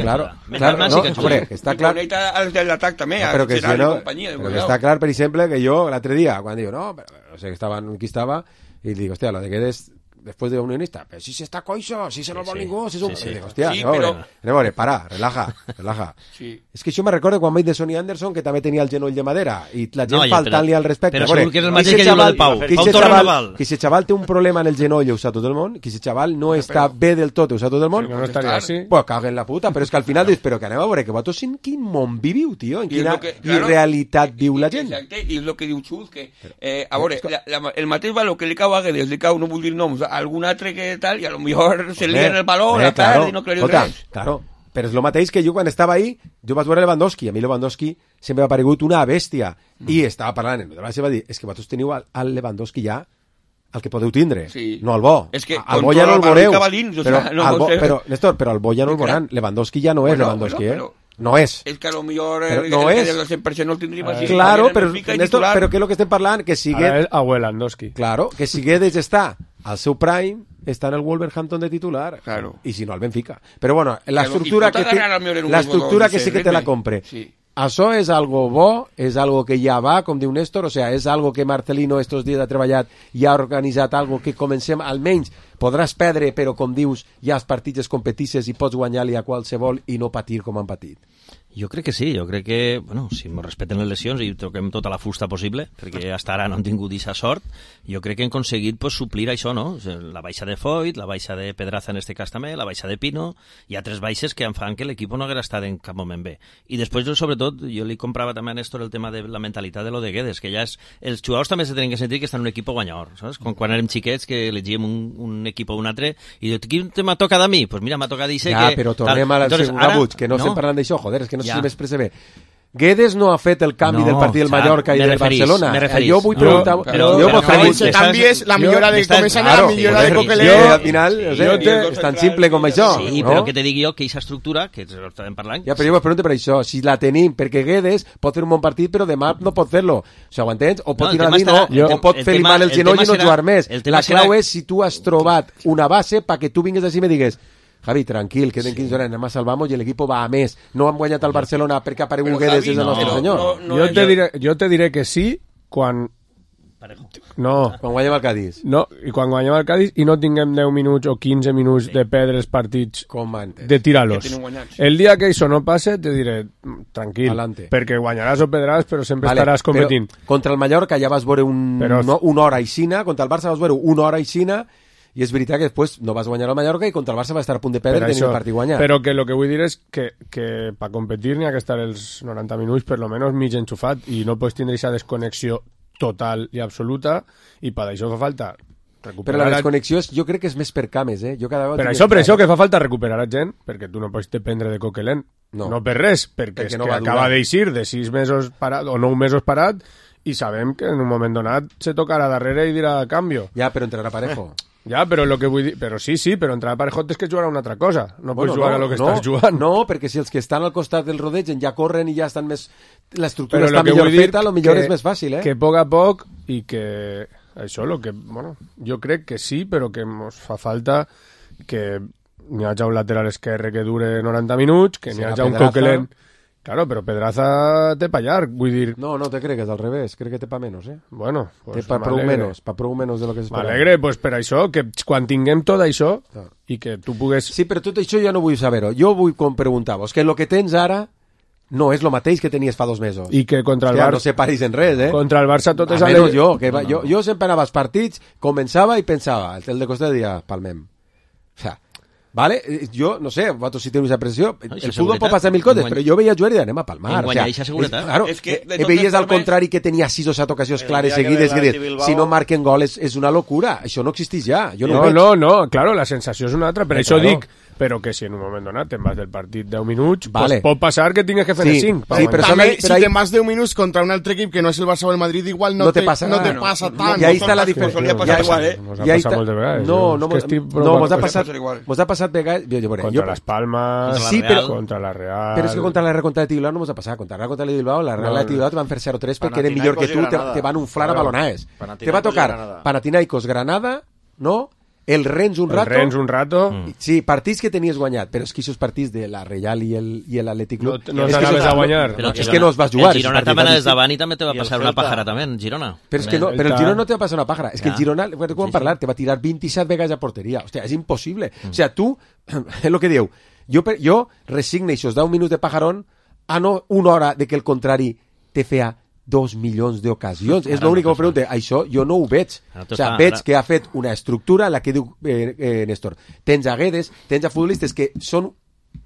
Claro, claro, no, hombre, està clar... I els de l'atac també, no, però que si no, companyia, però que està clar, per exemple, que jo l'altre dia, quan diu, no, però, no sé, estaven, qui estava, i dic, hòstia, la de Guedes después de unionista, pero si se está coixo, si se no Sí, vol sí. ningú, si és un... Sí, sí. Dic, hòstia, Sí, a veure, però- a veure, para, relaja, relaja. Sí. És que això me recorda quan vaig de Sonny Anderson, que també tenia el genoll de madera, i la gent No, ja, faltant-li però- al respecte. però A veure, segur que és el que mateix ese que diu lo xaval- del Pau. que Pau ese Torra xaval- no val. que ese xaval té un problema en el genoll, ho sap tot el món, que ese xaval no està bé del tot, ho sap tot el món. Si no, no estaria així. Pues caguen la puta, però és que al final dius, però que anem a veure, que vosaltres en quin món viviu, tio, en I és quina lo que- claro. irrealitat viu la gent. Exacte, i és el que diu Xus, que, eh, a veure, la, la, el mateix valor que li cau a Guedes, li cau, no vull dir noms, a algun altre que tal, i a lo millor se li en el baló, Hombre, la claro. perd i no creu Escolta, res. claro, però és el mateix que jo quan estava ahí, jo vaig veure Lewandowski, a mi Lewandowski sempre m'ha paregut una bèstia, Mm. i estava parlant, en el va dir, és que vosaltres teniu al, al Lewandowski ja el que podeu tindre, Sí. no el bo. És que al con bo ja todo no el el balón veureu, cabalín, o però, sea, no al bo, sé. però, Néstor, però al bo ja no el Sí, clar. veuran, Lewandowski ja no és Bueno, Lewandowski, bueno, eh? No és. És que a lo millor Però el, no el, és. el del cent per cent no el tindríem així. Claro, También però, en Benfica i Néstor, titular. però què és el que estem parlant? Que si Ara és Abuelandowski. Claro, que si Guedes està al seu prime, està en el Wolverhampton de titular. Claro. I si no, al Benfica. Però bueno, la Claro, estructura i pot que té, agarrar al millor en un la jugador estructura de que sí que te C R M. la compre. Sí. Això és algo bo, és algo que ja va, com diu Néstor, o sea, és algo que Marcelino estos dies ha treballat i ha organitzat algo que comencem, almenys podràs perdre, però com dius, ja els partits es competisses i pots guanyar-li a qualsevol i no patir com han patit. Jo crec que sí, jo crec que, bueno, si ens respecten les lesions i toquem tota la fusta possible, perquè hasta ara no han tingut aquesta sort, jo crec que hem aconseguit pues, suplir això, no? O sigui, la baixa de Foyt, la baixa de Pedraza en este cas també, la baixa de Pino, hi ha tres baixes que en fan que l'equip no haguera estat en cap moment bé. I després, jo, sobretot, jo li comprava també a Néstor el tema de la mentalitat de lo de Guedes, que ja és... Els jugadors també se tenen que sentir que estan en un equip guanyador, saps? Com quan érem xiquets que elegíem un, un equip o un altre i diu, quin tema toca de mi? Pues mira, m'ha tocat d'eixe Ja, que... però tornem a la Entonces, segona ara- Buig, que no, no. estem parlant d'això, joder, és que no sé Ja. si m'expressa bé. Guedes no ha fet el canvi No, del partit del clar, Mallorca i me del referís, Barcelona. me referís. Jo vull No, preguntar... però- jo però vull no, preguntar- ese cambio es la jo- millora de m'estàs- començar claro, la millora sí, de jo- Coquelin. Jo, al final, no sé, jo te- és tan simple com això. Sí, no? però que te digui jo que aquesta estructura, que ens estàvem parlant... Ja, però jo vos pregunto per això, si la tenim, perquè Guedes pot fer un bon partit, però demà no pot fer-lo. O sigui, ho entens? O pot No, el tirar a tema dir no, estarà- o pot el fer-li tema- mal el el genoll tema i no serà- jugar més. el tema La clau serà- és si tu has trobat una base perquè tu vingues així i me digues Javi, tranquil, queden quinze hores, anem a salvamos i l'equip va a més. No hem guanyat el Barcelona perquè ha aparegut Però, Guedes Javi, és el no, nostre no, senyor. no, no, jo, te jo- diré, jo te diré que sí quan... No, Quan guanyem el Cádiz. no, i quan guanyem el Cádiz i no tinguem deu minuts o quinze minuts de perdre els partits Com antes. de tirar-los. Que tenen guanyats. El dia que això no passe, te diré, "Mm, tranquil, Alante. perquè guanyaràs o perdràs, però sempre Vale, estaràs competint. Però contra el Mallorca ja vas veure un, Però- no, una hora i cina, contra el Barça vas veure una hora i cina, i és veritat que després no vas guanyar el Mallorca i contra el Barça va estar a punt de perdre Per i tenir això, el partit guanyat. Però que el que vull dir és que, que per competir n'hi ha que estar els noranta minuts per lo menos mig enxufat i no pots tindre aquesta desconnexió total i absoluta i per això fa falta Però recuperar... la desconnexió és, jo crec que és més per cames, eh? Jo cada vegada Per tinc això, per més això clar. que fa falta recuperar a gent, perquè tu no pots dependre de Coquelin. No. No, per res, perquè, Perquè és no que va acaba durar. d'eixir de sis mesos parat o nou mesos parat i sabem que en un moment donat se tocarà darrere i dirà canvio. Ja, però entrarà parejo. Ja, però lo que vull dir... Però sí, sí, però entrar a parejot és que jugar a una altra cosa. No pots jugar a lo que no, estàs jugant. No, perquè si els que estan al costat del rodegen ja corren i ja estan més... L'estructura Però està lo que millor vull dir feta, lo millor que- és més fàcil, eh? Que a poc a poc i que això, lo que, bueno, jo crec que sí, però que ens fa falta que n'hi hagi un lateral esquerre que dure noranta minuts, que n'hi Serà hagi un Pedraza. Coquelin... Claro, però Pedraza té pa llarg, vull dir... No, no te crec, és al revés. Crec que té pa menys, eh? Bueno, Té pues pa prou m'alegre. menys, pa prou menys de lo que s'esperava. M'alegre, pues per això, que quan tinguem tot això Ah. i que tu pugues... Sí, però tot això ja no vull saber-ho. Jo vull com preguntar-vos que el que tens ara no és el mateix que tenies fa dos mesos. I que contra el Hòstia, Barça... no separis en res, eh? Contra el Barça tot és... Almenys ale- jo, que va, jo, jo sempre anava als partits, començava i pensava, el de costat dia, palmem. O sea, vale? Eh, Jo, no sé, vosaltres si teniu aquesta pressió, No, el això futbol seguretat. pot passar mil coses, En però guany- jo veia jugar i anem a palmar. En guanyar o eixa sea, seguretat. És, claro, És que, de eh, totes veies al formes- contrari que tenia sis o set ocasions El clares dia que seguides, ve que el dius, Bilbao- si no marquen gol és, és una locura. Això no existeix ja. Jo no, No, ho veig. no, no, claro, la sensació és una altra, per Eh, això claro. dic, però que si en un moment donat te'n vas del partit deu minuts, Vale. pues pot passar que tingues que fer Sí, cinc. sí, però També, solo- si pero ahí- te más de un minuts contra un altre equip que no és el Barça o el Madrid, igual no, no te pasa no nada. te pasa No, tant. y ahí no está la te'n diferencia. Solía pasar igual, eh? Nos ha I ahí passat està- moltes vegades. No, És no, que mos- estic no, provant mos ha coses. passat, Passa igual. mos ha passat vegades... Jo, jo, veuré, Contra jo, les Palmes, Contra la Sí, Real. però- contra la Real... Però és que contra la Real contra el Bilbao no mos ha passat. Contra la Real contra el Bilbao, la Real No, i el Bilbao no. te van fer zero tres perquè eren Panathinaikos millor que i tu, te, Granada. te van unflar a Claro. balonades. Panathinaikos Te va i tocar Granada. Panathinaikos, Granada, no? el Rennes un El rato... Rennes un rato. Mm. Sí, partits que tenies guanyat, però és que aquests partits de la Reial i el, i l'Atlètic Club... No, no és que t'anaves a guanyar. Però és que no els vas jugar. El Girona també anaves davant i també te va passar una pàjara, també, en Girona. Però, és que no, però el Girona no te va passar una pàjara. És que Ja. el Girona, quan Sí, sí. parlar, te va tirar vint-i-set vegades a porteria. Hòstia, és impossible. O sea, tu, és el que diu, jo, per- jo resigne i si us da un minut de pajarón a no una hora de que el contrari te fea dos milions d'ocasions. És Ara l'únic que no m'ho pregunte. Això jo no ho veig. Ara O tot sea, està- veig ara- que ha fet una estructura en la que diu eh, eh, Néstor. Tens a Guedes, tens a futbolistes que són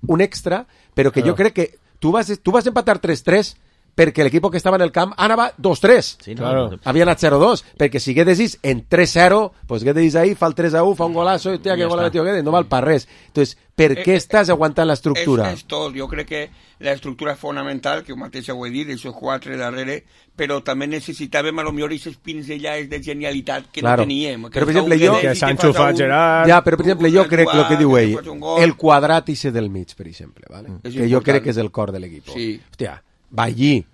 un extra, però que Claro. jo crec que tu vas, tu vas empatar tres tres perquè l'equip que estava en el camp anava dos tres. Sí, no? Claro. Havia anat zero dos, perquè si Guedes en tres zero, pues Guedes ahí fa el tres a u, fa un golazo, i tia, que Ja gol ha està. metido Guedes, no val per res. Entonces, per Eh, què eh, estàs aguantant l'estructura? És, és tot. Jo crec que l'estructura és fonamental, que ho mateix ho he dit, els quatre darrere, però també necessitàvem a lo millor aquestes pinzellades de genialitat que Claro. no teníem. Però, per fa un exemple, jo- Guedes Que i s'ha te enxufat fas un- Gerard. Ja, però per exemple, jo un crec el que diu que ell, te fas un gol. el quadrat ese del mig, per exemple, ¿vale? És que jo important. crec que és el cor de l'equip. Sí. Hòstia, va allí,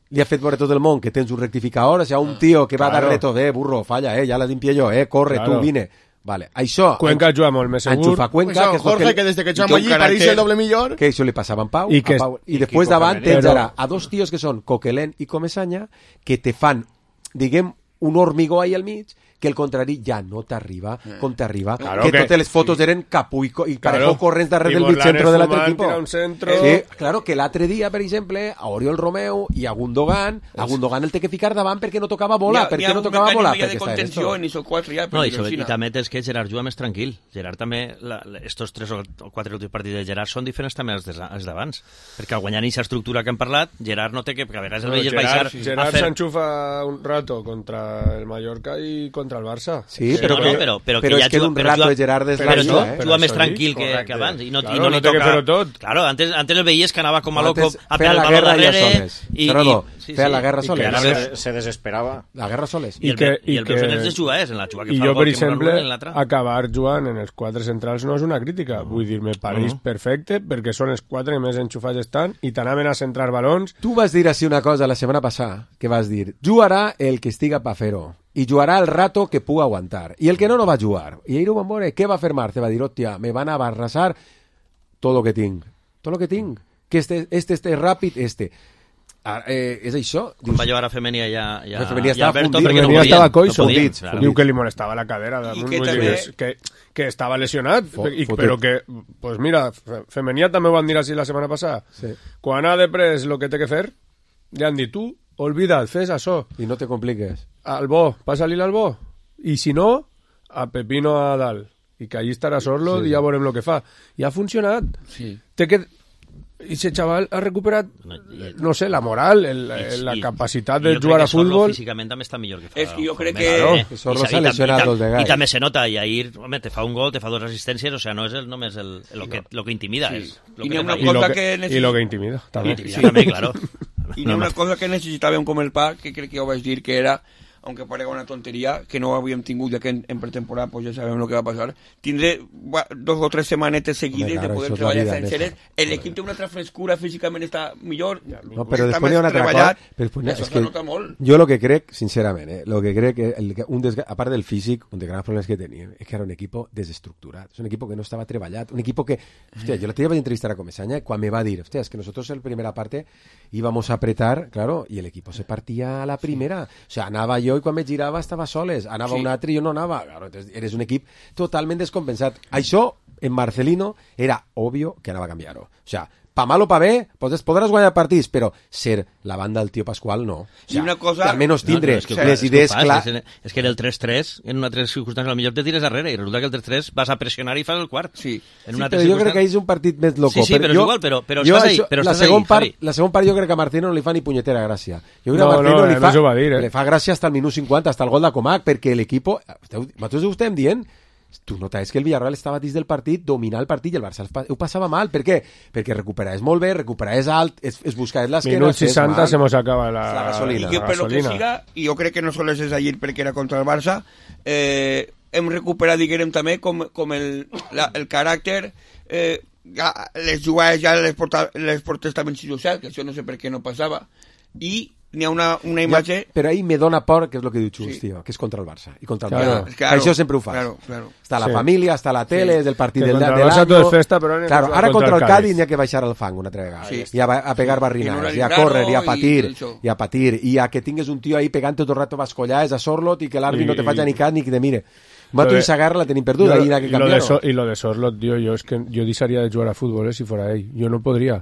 li ha fet veure tot el món que tens un rectificador, o sea, un tio que va Claro. a dar reto, eh, burro, falla, eh, ja la limpié jo, eh, corre, Claro. tu, vine. Vale, això... Cuenca juga molt més segur. Enxufa Cuenca, Pues, que és Jorge, lo que desde que y echamos con allí carácter- París el doble millor. que això li passava en Pau, I I, que- a Pau, i i després Kiko davant Femenino. tens Però- ara a dos tios que són Coquelin i Comesaña que te fan, diguem, un hormigó ahí al mig que el contrari ja no t'arriba com t'arriba, Claro que, que- totes les fotos eren Capú i, Co- i Claro. Parejo corrents darrere I del mig Morlanes centre de l'altre fumant, equip. tira un centro. Sí, claro, que l'altre dia, per exemple, a Oriol Romeu i a Gundogan, a Gundogan el té que ficar davant perquè no tocava bola, perquè no tocava bola, Hi ha perquè de està en contenció esto. en esos quatre ja, No, perquè i, sobre, Alcina. i també és que Gerard juga més tranquil. Gerard també, la, la, estos tres o quatre últims partits de Gerard són diferents també als des- als d'abans. Perquè al guanyar aquesta estructura que hem parlat, Gerard no té que... Perquè a vegades el No, veies Gerard, baixar Gerard a fer... s'enxufa un rato contra el Mallorca i contra el Barça. Sí, Sí, però, no, que, no, però, però, però que és ja que en juga- un però rato juga- de Gerard és però la tu, vida, eh? juga més Això sí, tranquil que, correcte. que abans i no, Claro, i no, no li té que toca... fer-ho tot. Claro, antes, antes el veies que anava com a loco Antes a feia per el la baló guerra ja darrere soles. i, Gerardo, i, feia la guerra i que soles. ara Se, ves- se desesperava. La guerra soles. I el, I que- i i el que- veus en els jugadors, en la jugada que I fa jo, el gol, per que molt exemple, anul·len l'altre. acabar jugant en els quatre centrals no és una crítica. Vull dir, me pareix No. perfecte perquè són els quatre que més enxufats estan i t'anaven a centrar balons. Tu vas dir així una cosa la setmana passada, que vas dir, jugarà el que estiga pa fer-ho, i jugarà el rato que puga aguantar. I el que no, no va jugar. I ahir ho van veure, què va fer Marce? Va dir, hòstia, me van a barrasar tot lo que tinc. Tot lo que tinc. Que este, este, este ràpid, este. Ara, eh, és això. Quan va jugar a Femenia ja, ja, La Femenia ja estava Alberto, fundit. perquè no Femenia podien, estava coixo. no podien, Fundit, claro. Diu que li molestava la cadera I damunt, que vull també- dir, que, que estava lesionat Fo- i, fotet. però que, pues mira, Fe- Femenia també ho van dir així la setmana passada. Sí. Quan ha de pres el que té que fer, li han dit, tu, olvida't, fes això. I no te compliques. Al bo, passa-li al bo. I si no, a Pepino a dalt. I que allí estarà Sorlo Sí. i ja veurem el que fa. I ha funcionat. Sí. Té que... I ese chaval ha recuperat, no sé, la moral, el, I- la i- capacitat i de jo jugar crec a que Sorlo futbol. físicament també està millor que fa. És que jo crec fa que- un mes, Claro, eh? que Sorlo I sa- s'ha i tam- lesionat i tam- dos vegades. I també se nota, i ahir, home, te fa un gol, te fa dues assistències, o sea, no és el, només el, lo, que, lo que intimida, Sí. és lo I que n'hi ha te una fa I ir. lo cosa que, que necessi- i lo que intimida, també. Intimida també, claro. I n'hi ha una cosa que necessitàvem com el pa, que crec que ja ho vaig dir, que era, aunque parega una tonteria, que no havíem tingut ja que en, en pretemporada, pues ja sabem el que va passar, tindré va, dos o tres setmanetes seguides Home, claro, de poder això és la treballar vida, senceres. Néstor. L'equip té una altra frescura, físicament està millor, No, però està després més hi ha una altra treballat, cosa. Però després, això és se que nota molt. jo el que crec, sincerament, eh, lo que crec que el, un desga... a part del físic, un dels grans problemes que tenia és que era un equip desestructurat, és un equip que no estava treballat, un equip que, hostia, yo la tía vaig entrevistar a Comesaña quan me va dir, hostia, es que nosotros en la primera parte íbamos a apretar, claro, y el equipo se partía a la primera, o sea, anava jo i quan me girava estava soles, anava Sí. un altre i jo no anava, claro, entonces eres un equip totalment descompensat. Això, en Marcelino, era obvio que anava a canviar-ho. O sea, pa mal o pa bé, podràs, podràs guanyar partits, però ser la banda del tio Pasqual, no. O sea, I una cosa- que almenys tindre No, no, és que, les és que idees ho fas, clares. és, és que en el tres tres, en una altra circumstància, potser te tires darrere, i resulta que el tres tres vas a pressionar i fas el quart. Sí. En Sí, una altra però jo crec que circumstància- és un partit més loco. Sí, sí, però és jo, igual, però- però jo estàs ahí, això- però la estàs segon ahí, part, Javi. la segon part jo crec que a Martino no li fa ni punyetera gràcia. Jo crec No, que a Martino no, li, no fa, s'ho va dir, eh? li fa gràcia hasta el minut cinquanta, hasta el gol de Comac, perquè l'equip... Vosaltres ho estem dient? Tu notaves que el Villarreal estava dins del partit, dominar el partit, i el Barça ho passava mal. Per què? Perquè recuperaves molt bé, recuperaves alt, es, es buscaves l'esquena... Minut seixanta se mos acaba la, la gasolina. I que la per lo que gasolina. siga, i jo crec que no sols és ahir perquè era contra el Barça, eh, hem recuperat, diguem també, com, com el, la, el caràcter, eh, ja, les jugades ja les, porta, les portes també en social, que això no sé per què no passava, i n'hi ha una, una imatge... Ja, però ahí me dona por, que és el que diu Xus, sí. Tio, que és contra el Barça i contra el claro. Barça. Claro, això sempre ho fas. Claro, claro. Està la sí. família, està la tele, sí. és el partit que del, contra del el Barça año. tot és festa, però claro, ara contra, contra el Cádiz n'hi ha que baixar al fang una altra vegada. Sí. I a, a pegar barrinades, i a córrer, i a patir, i a patir, i a que tingues un tio ahí pegant tot el rato bascollars a Sorlot i que l'àrbit no te faci ni cas ni que te mire. Mato i Sagarra la tenim perduda, ahí n'ha que canviar-ho. So, I lo de Sorlot, tío, yo es que yo deixaria de jugar a fútbol, eh, si fuera ell. Jo no podria.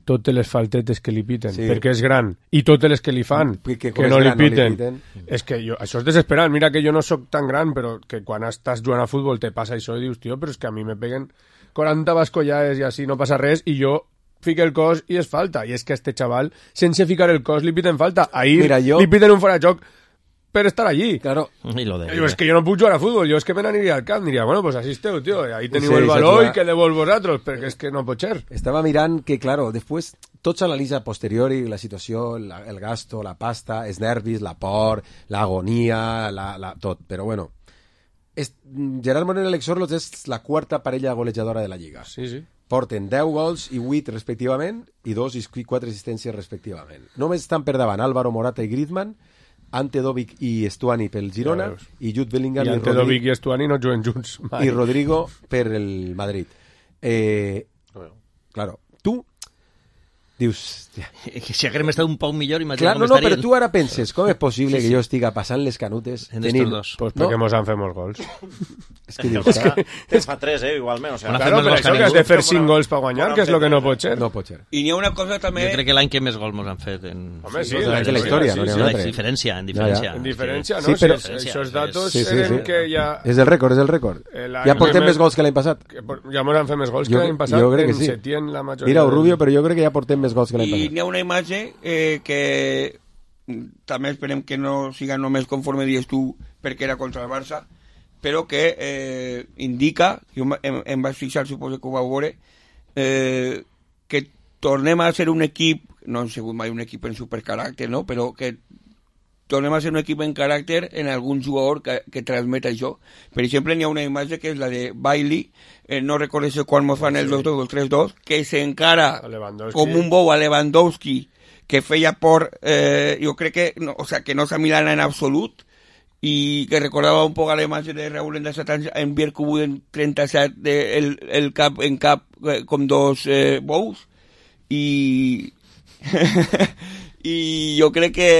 Totes les faltetes que li piten, sí. perquè és gran, i totes les que li fan, que, que, que no, li piten. no li piten. És que jo, això és desesperant. Mira que jo no sóc tan gran, però que quan estàs jugant a futbol te passa això i dius, tio, però és que a mi me peguen quaranta bascollades i així no passa res, i jo fique el cos i és falta. I és que a este xaval, sense ficar el cos, li piten falta. Ahir Mira, jo... li piten un fora de joc per estar allí. Claro. Y lo de... Yo, es que yo no puedo jugar a fútbol, yo es que me aniria al camp, diria, bueno, pues así esteu, tío, ahí teniu sí, el valor i que devol vosaltres, perquè és que no pot ser. Estava mirant que, claro, després tot s'analitza a posteriori, la situació, la, el gasto, la pasta, els nervis, la por, l'agonia, la, la, tot, però bueno. És, Gerard Moreno i Alex Sorloth és la quarta parella golejadora de la Lliga. Sí, sí. Porten deu gols i vuit respectivament i dos i quatre assistències respectivament. Només estan per davant Álvaro Morata i Griezmann, Ante Dovic i Estuani pel Girona ja i Jude Bellingham i, i Ante Dovic i Estuani no juguen junts mai. I Rodrigo per el Madrid. Eh, claro, tu dius... Que si haguem estat un poc millor, imagina clar, com no, no, estarien. però tu ara penses, com és possible sí, sí. que jo estiga passant les canutes en tenint... estos dos? Pues perquè no? Mos han fet molts gols. És que dius, que... Te fa tres, eh, igualment. O sea, claro, però això que has de fer cinc gols per guanyar, que és el que no pot ser. No pot ser. I n'hi ha una cosa també... Jo crec que l'any que més gols mos han fet en... Home, sí, sí, en la història, no n'hi ha un altre. En diferència, en diferència. En diferència, no? Sí, però... Això és datos sí, sí, sí. que ja... És el rècord, és el rècord. Ja portem més gols que l'any passat. Ja mos han fet més gols que l'any passat. Jo crec que sí. Mira, Rubio, però jo crec que ja portem més gols que l'any passat. I n'hi ha una imatge eh, que també esperem que no siga només conforme dius tu perquè era contra el Barça, però que eh, indica, jo em, em vaig fixar, suposo que ho vau veure, eh, que tornem a ser un equip, no hem sigut mai un equip en supercaràcter, no? Però que tornem a ser un equip en caràcter en algun jugador que, que transmet això. Per exemple, n'hi ha una imatge que és la de Bailey, eh, no recordo quan mos fan el dos dos o el tres dos, que s'encara com un bou a Lewandowski, que feia por, eh, jo crec que no, o sea, que no s'amilana en absolut, i que recordava un poc a la imatge de Raúl en disset anys en Bierkubu en trenta-set de, el, el cap en cap eh, com dos eh, bous, i i jo crec que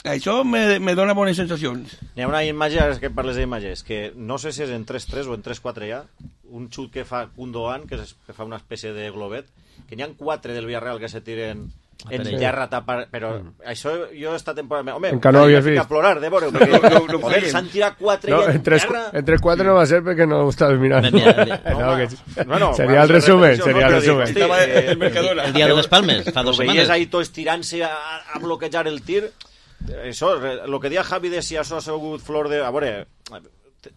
això me, me dona bones sensacions. Hi ha una imatge, ara que parles d'imatges, que no sé si és en tres tres o en tres quatre ja, un xut que fa Gundogan, que, és, que fa una espècie de globet, que n'hi ha quatre del Villarreal que se tiren en terra, tapar, però mm. això jo esta temporada... Home, encara no havies vist. A plorar, de veure, perquè no, no, no, s'han tirat quatre no, i en tres, terra... En tres quatre no va ser perquè no ho estaves mirant. No, no, que... bueno, seria el resumen, seria el resumen. Dic, hosti, eh, el, el, el dia de les Palmes, fa dues setmanes. Veies ahí tots estirant-se a, a bloquejar el tir. Això, el que dia Javi de si això ha sigut flor de... A veure,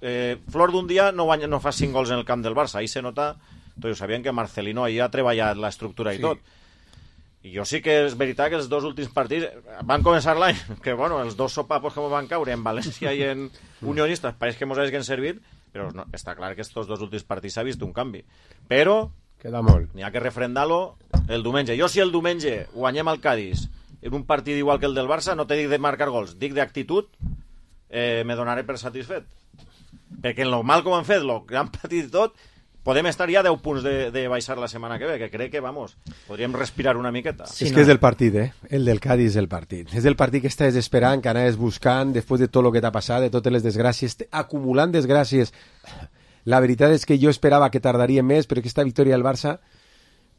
eh, flor d'un dia no, guanya, no fa cinc gols en el camp del Barça. Ahí se nota... Tots sabien que Marcelino ahí ha treballat l'estructura i sí. tot. I jo sí que és veritat que els dos últims partits van començar l'any, que bueno, els dos sopapos que van caure en València i en Unionistes pareix que mos hagin servit, però no, està clar que estos dos últims partits s'ha vist un canvi. Però queda molt. N'hi ha que refrendar-lo el diumenge. Jo si el diumenge guanyem al Cádiz en un partit igual que el del Barça, no te dic de marcar gols, dic d'actitud, eh, me donaré per satisfet. Perquè en lo mal com han fet, el gran partit i tot, podem estar ja a deu punts de, de baixar la setmana que ve, que crec que, vamos, podríem respirar una miqueta. Sí, és no. que és del partit, eh? El del Cádiz és el partit. És el partit que estàs esperant, que anaves buscant, després de tot el que t'ha passat, de totes les desgràcies, acumulant desgràcies. La veritat és que jo esperava que tardaria més, però aquesta victòria del Barça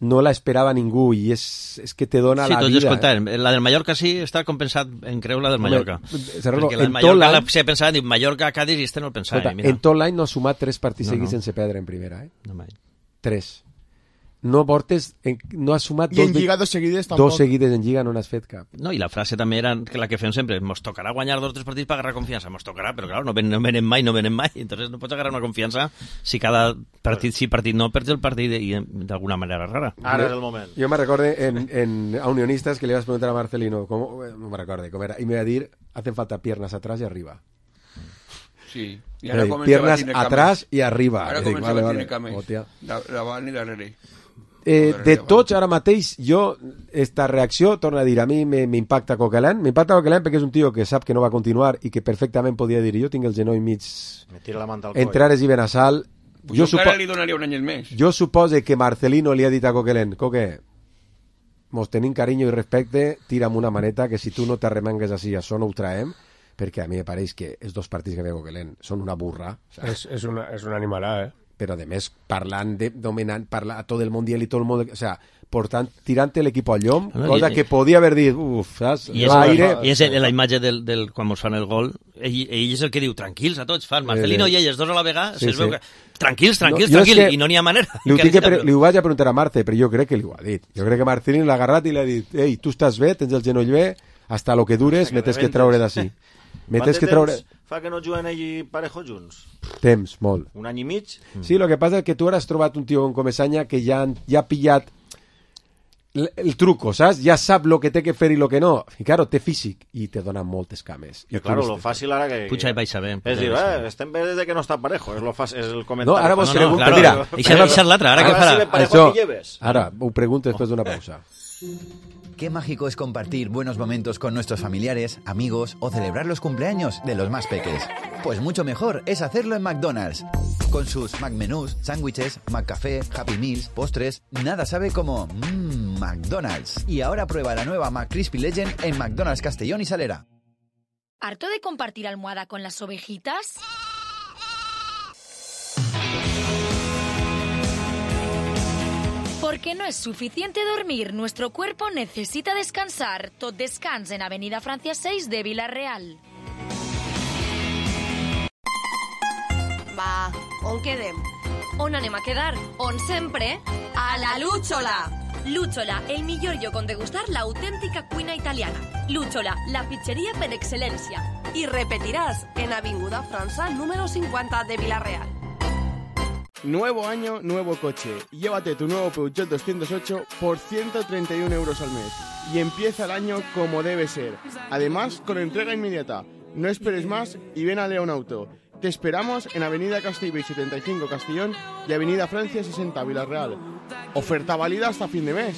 no la esperava ningú i és, és que te dona sí, la vida. Escolta, eh? La del Mallorca sí està compensat en creu la del Mallorca. Cerrarlo, perquè la del Mallorca la se pensava, diu Mallorca, Cádiz i este no el pensava. Escolta, mira. En tot l'any no ha sumat tres partits no, seguits no. sense perdre en primera, eh? No mai. Tres. No portes, en, no has sumat I dos, en Lliga dos seguides tampoc. Dos seguides en Lliga no n'has fet cap. No, i la frase també era que la que fem sempre, mos tocarà guanyar dos o tres partits per agarrar confiança, mos tocarà, però clar, no, ven, no venen mai, no venen mai, entonces no pots agarrar una confiança si cada partit sí, partit no, perds el partit i d'alguna manera rara. Ara és el moment. Jo me recorde en, en, a Unionistas que le vas preguntar a Marcelino, ¿cómo? No me recorde cómo era, y me iba a decir, hacen falta piernas atrás y arriba. Sí. I ara piernas atrás y arriba. Ara comença vale, vale. Davant i darrere. eh, de tots, ara mateix, jo, esta reacció, torno a dir, a mi m'impacta Coquelin, m'impacta Coquelin perquè és un tio que sap que no va continuar i que perfectament podia dir, jo tinc el genoll mig... Me tira la manta al coll. Entre Ares i Benassal. Pues jo, jo supo... li donaria un any més. Jo supose que Marcelino li ha dit a Coquelin, Coque, mos tenim carinyo i respecte, tira'm una maneta, que si tu no t'arremangues així, això no ho traem, perquè a mi me pareix que els dos partits que ve Coquelin són una burra. O sea, és, és, una, és una animalà, eh? Però, a més, parlant de dominant, parla a tot el mundial i tot el món... O sea, portant, tirant l'equip al llom, no, cosa i, que podia haver dit, uf, saps? I és, aire... I és la imatge del, del, quan mos fan el gol, ell, ell és el que diu, tranquils a tots, fan, Marcelino eh, i elles, dos a la vegada, sí, sí. Veu que... Tranquils, tranquils, no, tranquils, i no n'hi ha manera. Li, que pre... li ho vaig a preguntar a Marte, però jo crec que li ho ha dit. Jo crec que Marcelino l'ha agarrat i li ha dit, ei, tu estàs bé, tens el genoll bé, hasta lo que dures, me tens que treure d'ací. Me tens que treure... Fa que no juguen ell i Parejo junts? Temps, molt. Un any i mig? Sí, el que passa és que tu ara has trobat un tio com Comesaña que ja, ja ha pillat el, el truco, saps? Ja sap lo que té que fer i lo que no. I, claro, té físic i te dona moltes cames. I, claro, lo fàcil ara que... Puja i baixa bé. És dir, eh, estem bé des que no està Parejo, és, lo fàcil, és el comentari. No, ara vos no, pregunto... No, claro, mira, això ara, és l'altre, ara, ara què farà? Això, ara, ho pregunto després d'una pausa. Qué mágico es compartir buenos momentos con nuestros familiares, amigos o celebrar los cumpleaños de los más peques. Pues mucho mejor es hacerlo en McDonald's. Con sus McMenús, sándwiches, McCafé, Happy Meals, postres, nada sabe como mmm, McDonald's. Y ahora prueba la nueva McCrispy Legend en McDonald's Castellón y Salera. ¿Harto de compartir almohada con las ovejitas? Porque no es suficiente dormir, nuestro cuerpo necesita descansar. Tot descans en Avenida Francia seis de Vila-real. Va, on quedem? On anem a quedar? On sempre? A la Lúchola! Lúchola, el millor lloc on degustar l'autèntica cuina italiana. Lúchola, la pizzeria per excel·lència. I repetiràs en Avinguda França número cincuenta de Vila-real. Nuevo año, nuevo coche. Llévate tu nuevo Peugeot doscientos ocho por ciento treinta y uno euros al mes. Y empieza el año como debe ser. Además, con entrega inmediata. No esperes más y ven a León Auto. Te esperamos en Avenida Castellbell setenta y cinco Castellón y Avenida Francia sesenta Vila-real. Oferta válida hasta fin de mes.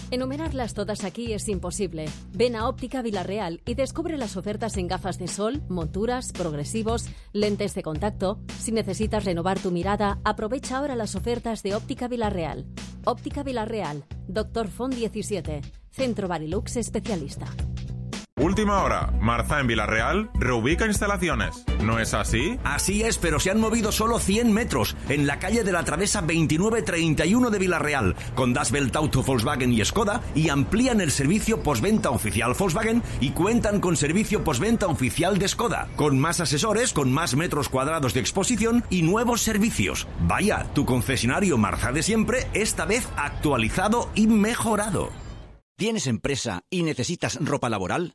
Enumerarlas todas aquí es imposible. Ven a Óptica Vila-real y descubre las ofertas en gafas de sol, monturas, progresivos, lentes de contacto. Si necesitas renovar tu mirada, aprovecha ahora las ofertas de Óptica Vila-real. Óptica Vila-real, Doctor Font diecisiete, Centro Barilux Especialista. Última hora. Marza en Vila-real reubica instalaciones. ¿No es así? Así es, pero se han movido solo cien metros en la calle de la Travesa veintinueve treinta y uno de Vila-real, con Das Welt Auto, Volkswagen y Skoda, y amplían el servicio postventa oficial Volkswagen y cuentan con servicio postventa oficial de Skoda, con más asesores, con más metros cuadrados de exposición y nuevos servicios. Vaya, tu concesionario Marza de siempre, esta vez actualizado y mejorado. ¿Tienes empresa y necesitas ropa laboral?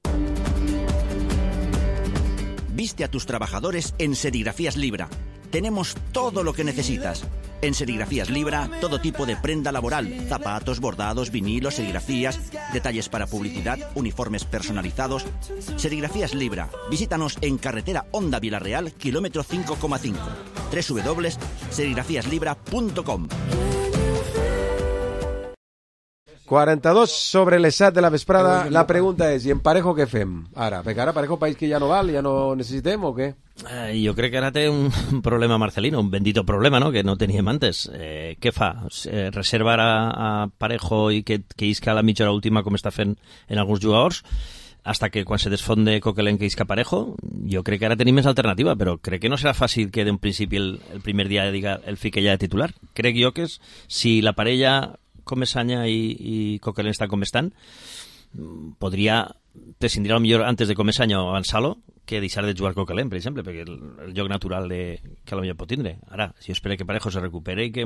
Viste a tus trabajadores en Serigrafías Libra. Tenemos todo lo que necesitas. En Serigrafías Libra, todo tipo de prenda laboral, zapatos, bordados, vinilos, serigrafías, detalles para publicidad, uniformes personalizados. Serigrafías Libra. Visítanos en carretera Honda Vila-real, kilómetro cinco coma cinco. doble u doble u doble u punto serigrafías libra punto com. quaranta-dos sobre les set de la vesprada. La pregunta és, i en Parejo què fem? Ara, perquè ara Parejo país que ja no val, ja no necessitem o què? Eh, jo crec que ara té un problema Marcelino, un bendito problema, no?, que no teníem antes. Eh, què fa? Eh, reservar a, a Parejo i que, que isca a la mitja hora última com està fent en alguns jugadors, hasta que quan se desfonde Coquelin que isca Parejo. Jo crec que ara tenim més alternativa, però crec que no serà fàcil que d'un principi el, el primer dia diga el fique ja de titular. Crec jo que és, si la parella Comesaña i, i Coquelin estan com estan, podria prescindir millor antes de Comesaña o avançar-lo que deixar de jugar Coquelin, per exemple, perquè el, el lloc natural de, que potser pot tindre. Ara, si jo espero que Parejo se recupere i que,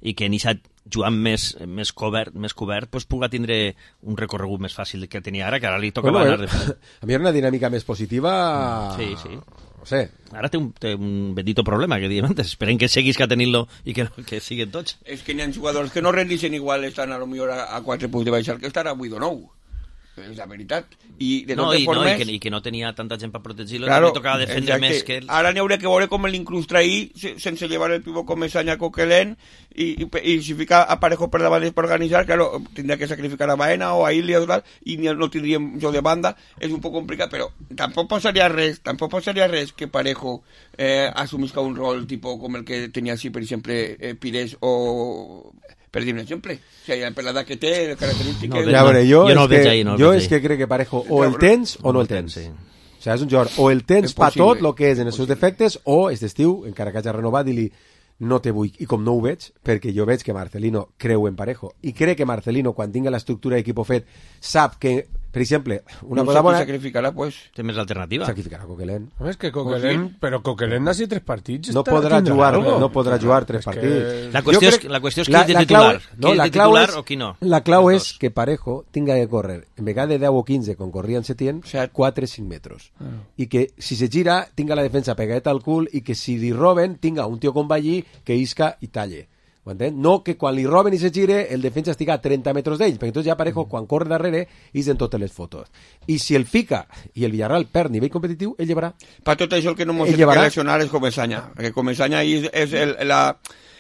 i que Nishat, jugant més, més cobert, més cobert pues, puga tindre un recorregut més fàcil que tenia ara, que ara li toca bueno, anar de fer. A mi era una dinàmica més positiva... Sí, sí. No sé. Ara té un, té un bendito problema, que diem antes. Esperem que seguis que tenint-lo i que, que siguen tots. És que n'hi ha jugadors que no rendixen igual, estan a lo millor a, a quatre punts de baixar que estar a vuit o nou. és la veritat. I de no, totes i, formes... no, i, que, i que no tenia tanta gent per protegir-lo, claro, també tocava defendre exacte. més que ell. Ara n'hi haurà que veure com l'incrustra ahir sense llevar el pivot com Mesaña Coquelin i, i, i si fica a Parejo per davant per organitzar, claro, tindria que sacrificar a Baena o a Ilia o tal, i no tindríem jo de banda, és un poc complicat, però tampoc passaria res, tampoc passaria res que Parejo eh, assumisca un rol tipo com el que tenia així, per exemple, eh, Pires o... per dir un exemple, o sigui, per l'edat que té, les característiques... No, ja veure, jo, jo no és, que, ahí, no jo és que crec que Parejo o el tens o no el tens. Sí. O sigui, és un jugador, o el tens pa tot el que és en els seus defectes, o aquest estiu, encara que hagi renovat, dir-li no te vull, i com no ho veig, perquè jo veig que Marcelino creu en Parejo, i crec que Marcelino, quan tinga l'estructura d'equip fet, sap que, per exemple, una no cosa bona... sacrificarà, pues... Té més alternativa. Sacrificarà Coquelin. No, és que Coquelin, però Coquelin ha sigut tres partits. No podrà jugar, no podrà jugar tres partits. La qüestió, és, la qüestió és qui és de titular. No, qui és de titular o qui no. La clau és que Parejo tinga que córrer, en vegada de deu o quinze, com corria en Setién, quatre o cinc metres. I que si se gira, tinga la defensa pegadeta al cul i que si li roben, tinga un tio com Ballí que isca i talle. Ho entén? No que quan li roben i se gire el defensa estiga a trenta metres d'ells, perquè entonces ja Parejo quan corre darrere és en totes les fotos. I si el fica i el Villarreal perd nivell competitiu, ell llevarà. Per tot això el que no ens hem de lesionar és Comesaña, perquè Comesaña és, és el, la,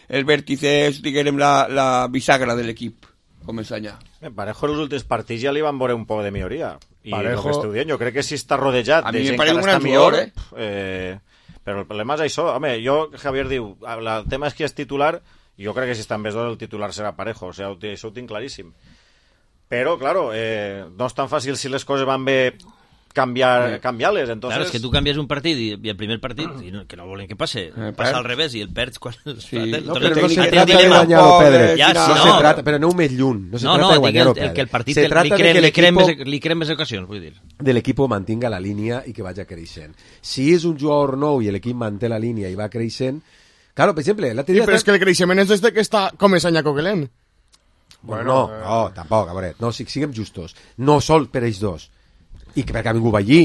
el vèrtice, és, diguem, la, la bisagra de l'equip. Comesaña. Parejo els últims partits ja li van veure un poc de milloria. I Parejo... el que esteu dient, jo crec que si està rodejat de gent que està millor... Eh? Eh, però el problema és això. Home, jo, Javier diu, el tema és que és titular... Jo crec que si està en vez dos el titular serà Parejo, o sigui, això ho tinc claríssim. Però, claro, eh, no és tan fàcil si les coses van bé canviar, canviar-les. Entonces... Claro, és que tu canvies un partit i, i el primer partit, i no, que no volen que passe, eh, passa al revés i el perds quan... Sí. No, però no se trata de guanyar o perdre. Ja, no, no, se trata, però no més lluny. No se no, trata no, de guanyar el, o perdre. El que el partit se li creen, li, creen més, li creen més ocasions, vull dir. De l'equip mantinga la línia i que vagi creixent. Si és un jugador nou i l'equip manté la línia i va creixent, claro, per exemple, la sí, però és que el creixement és des de que està Comesaña Coquelin. Bueno, no, eh... no, tampoc, a veure, no, si siguem justos. No sol per ells dos. I que perquè ha vingut Ballí,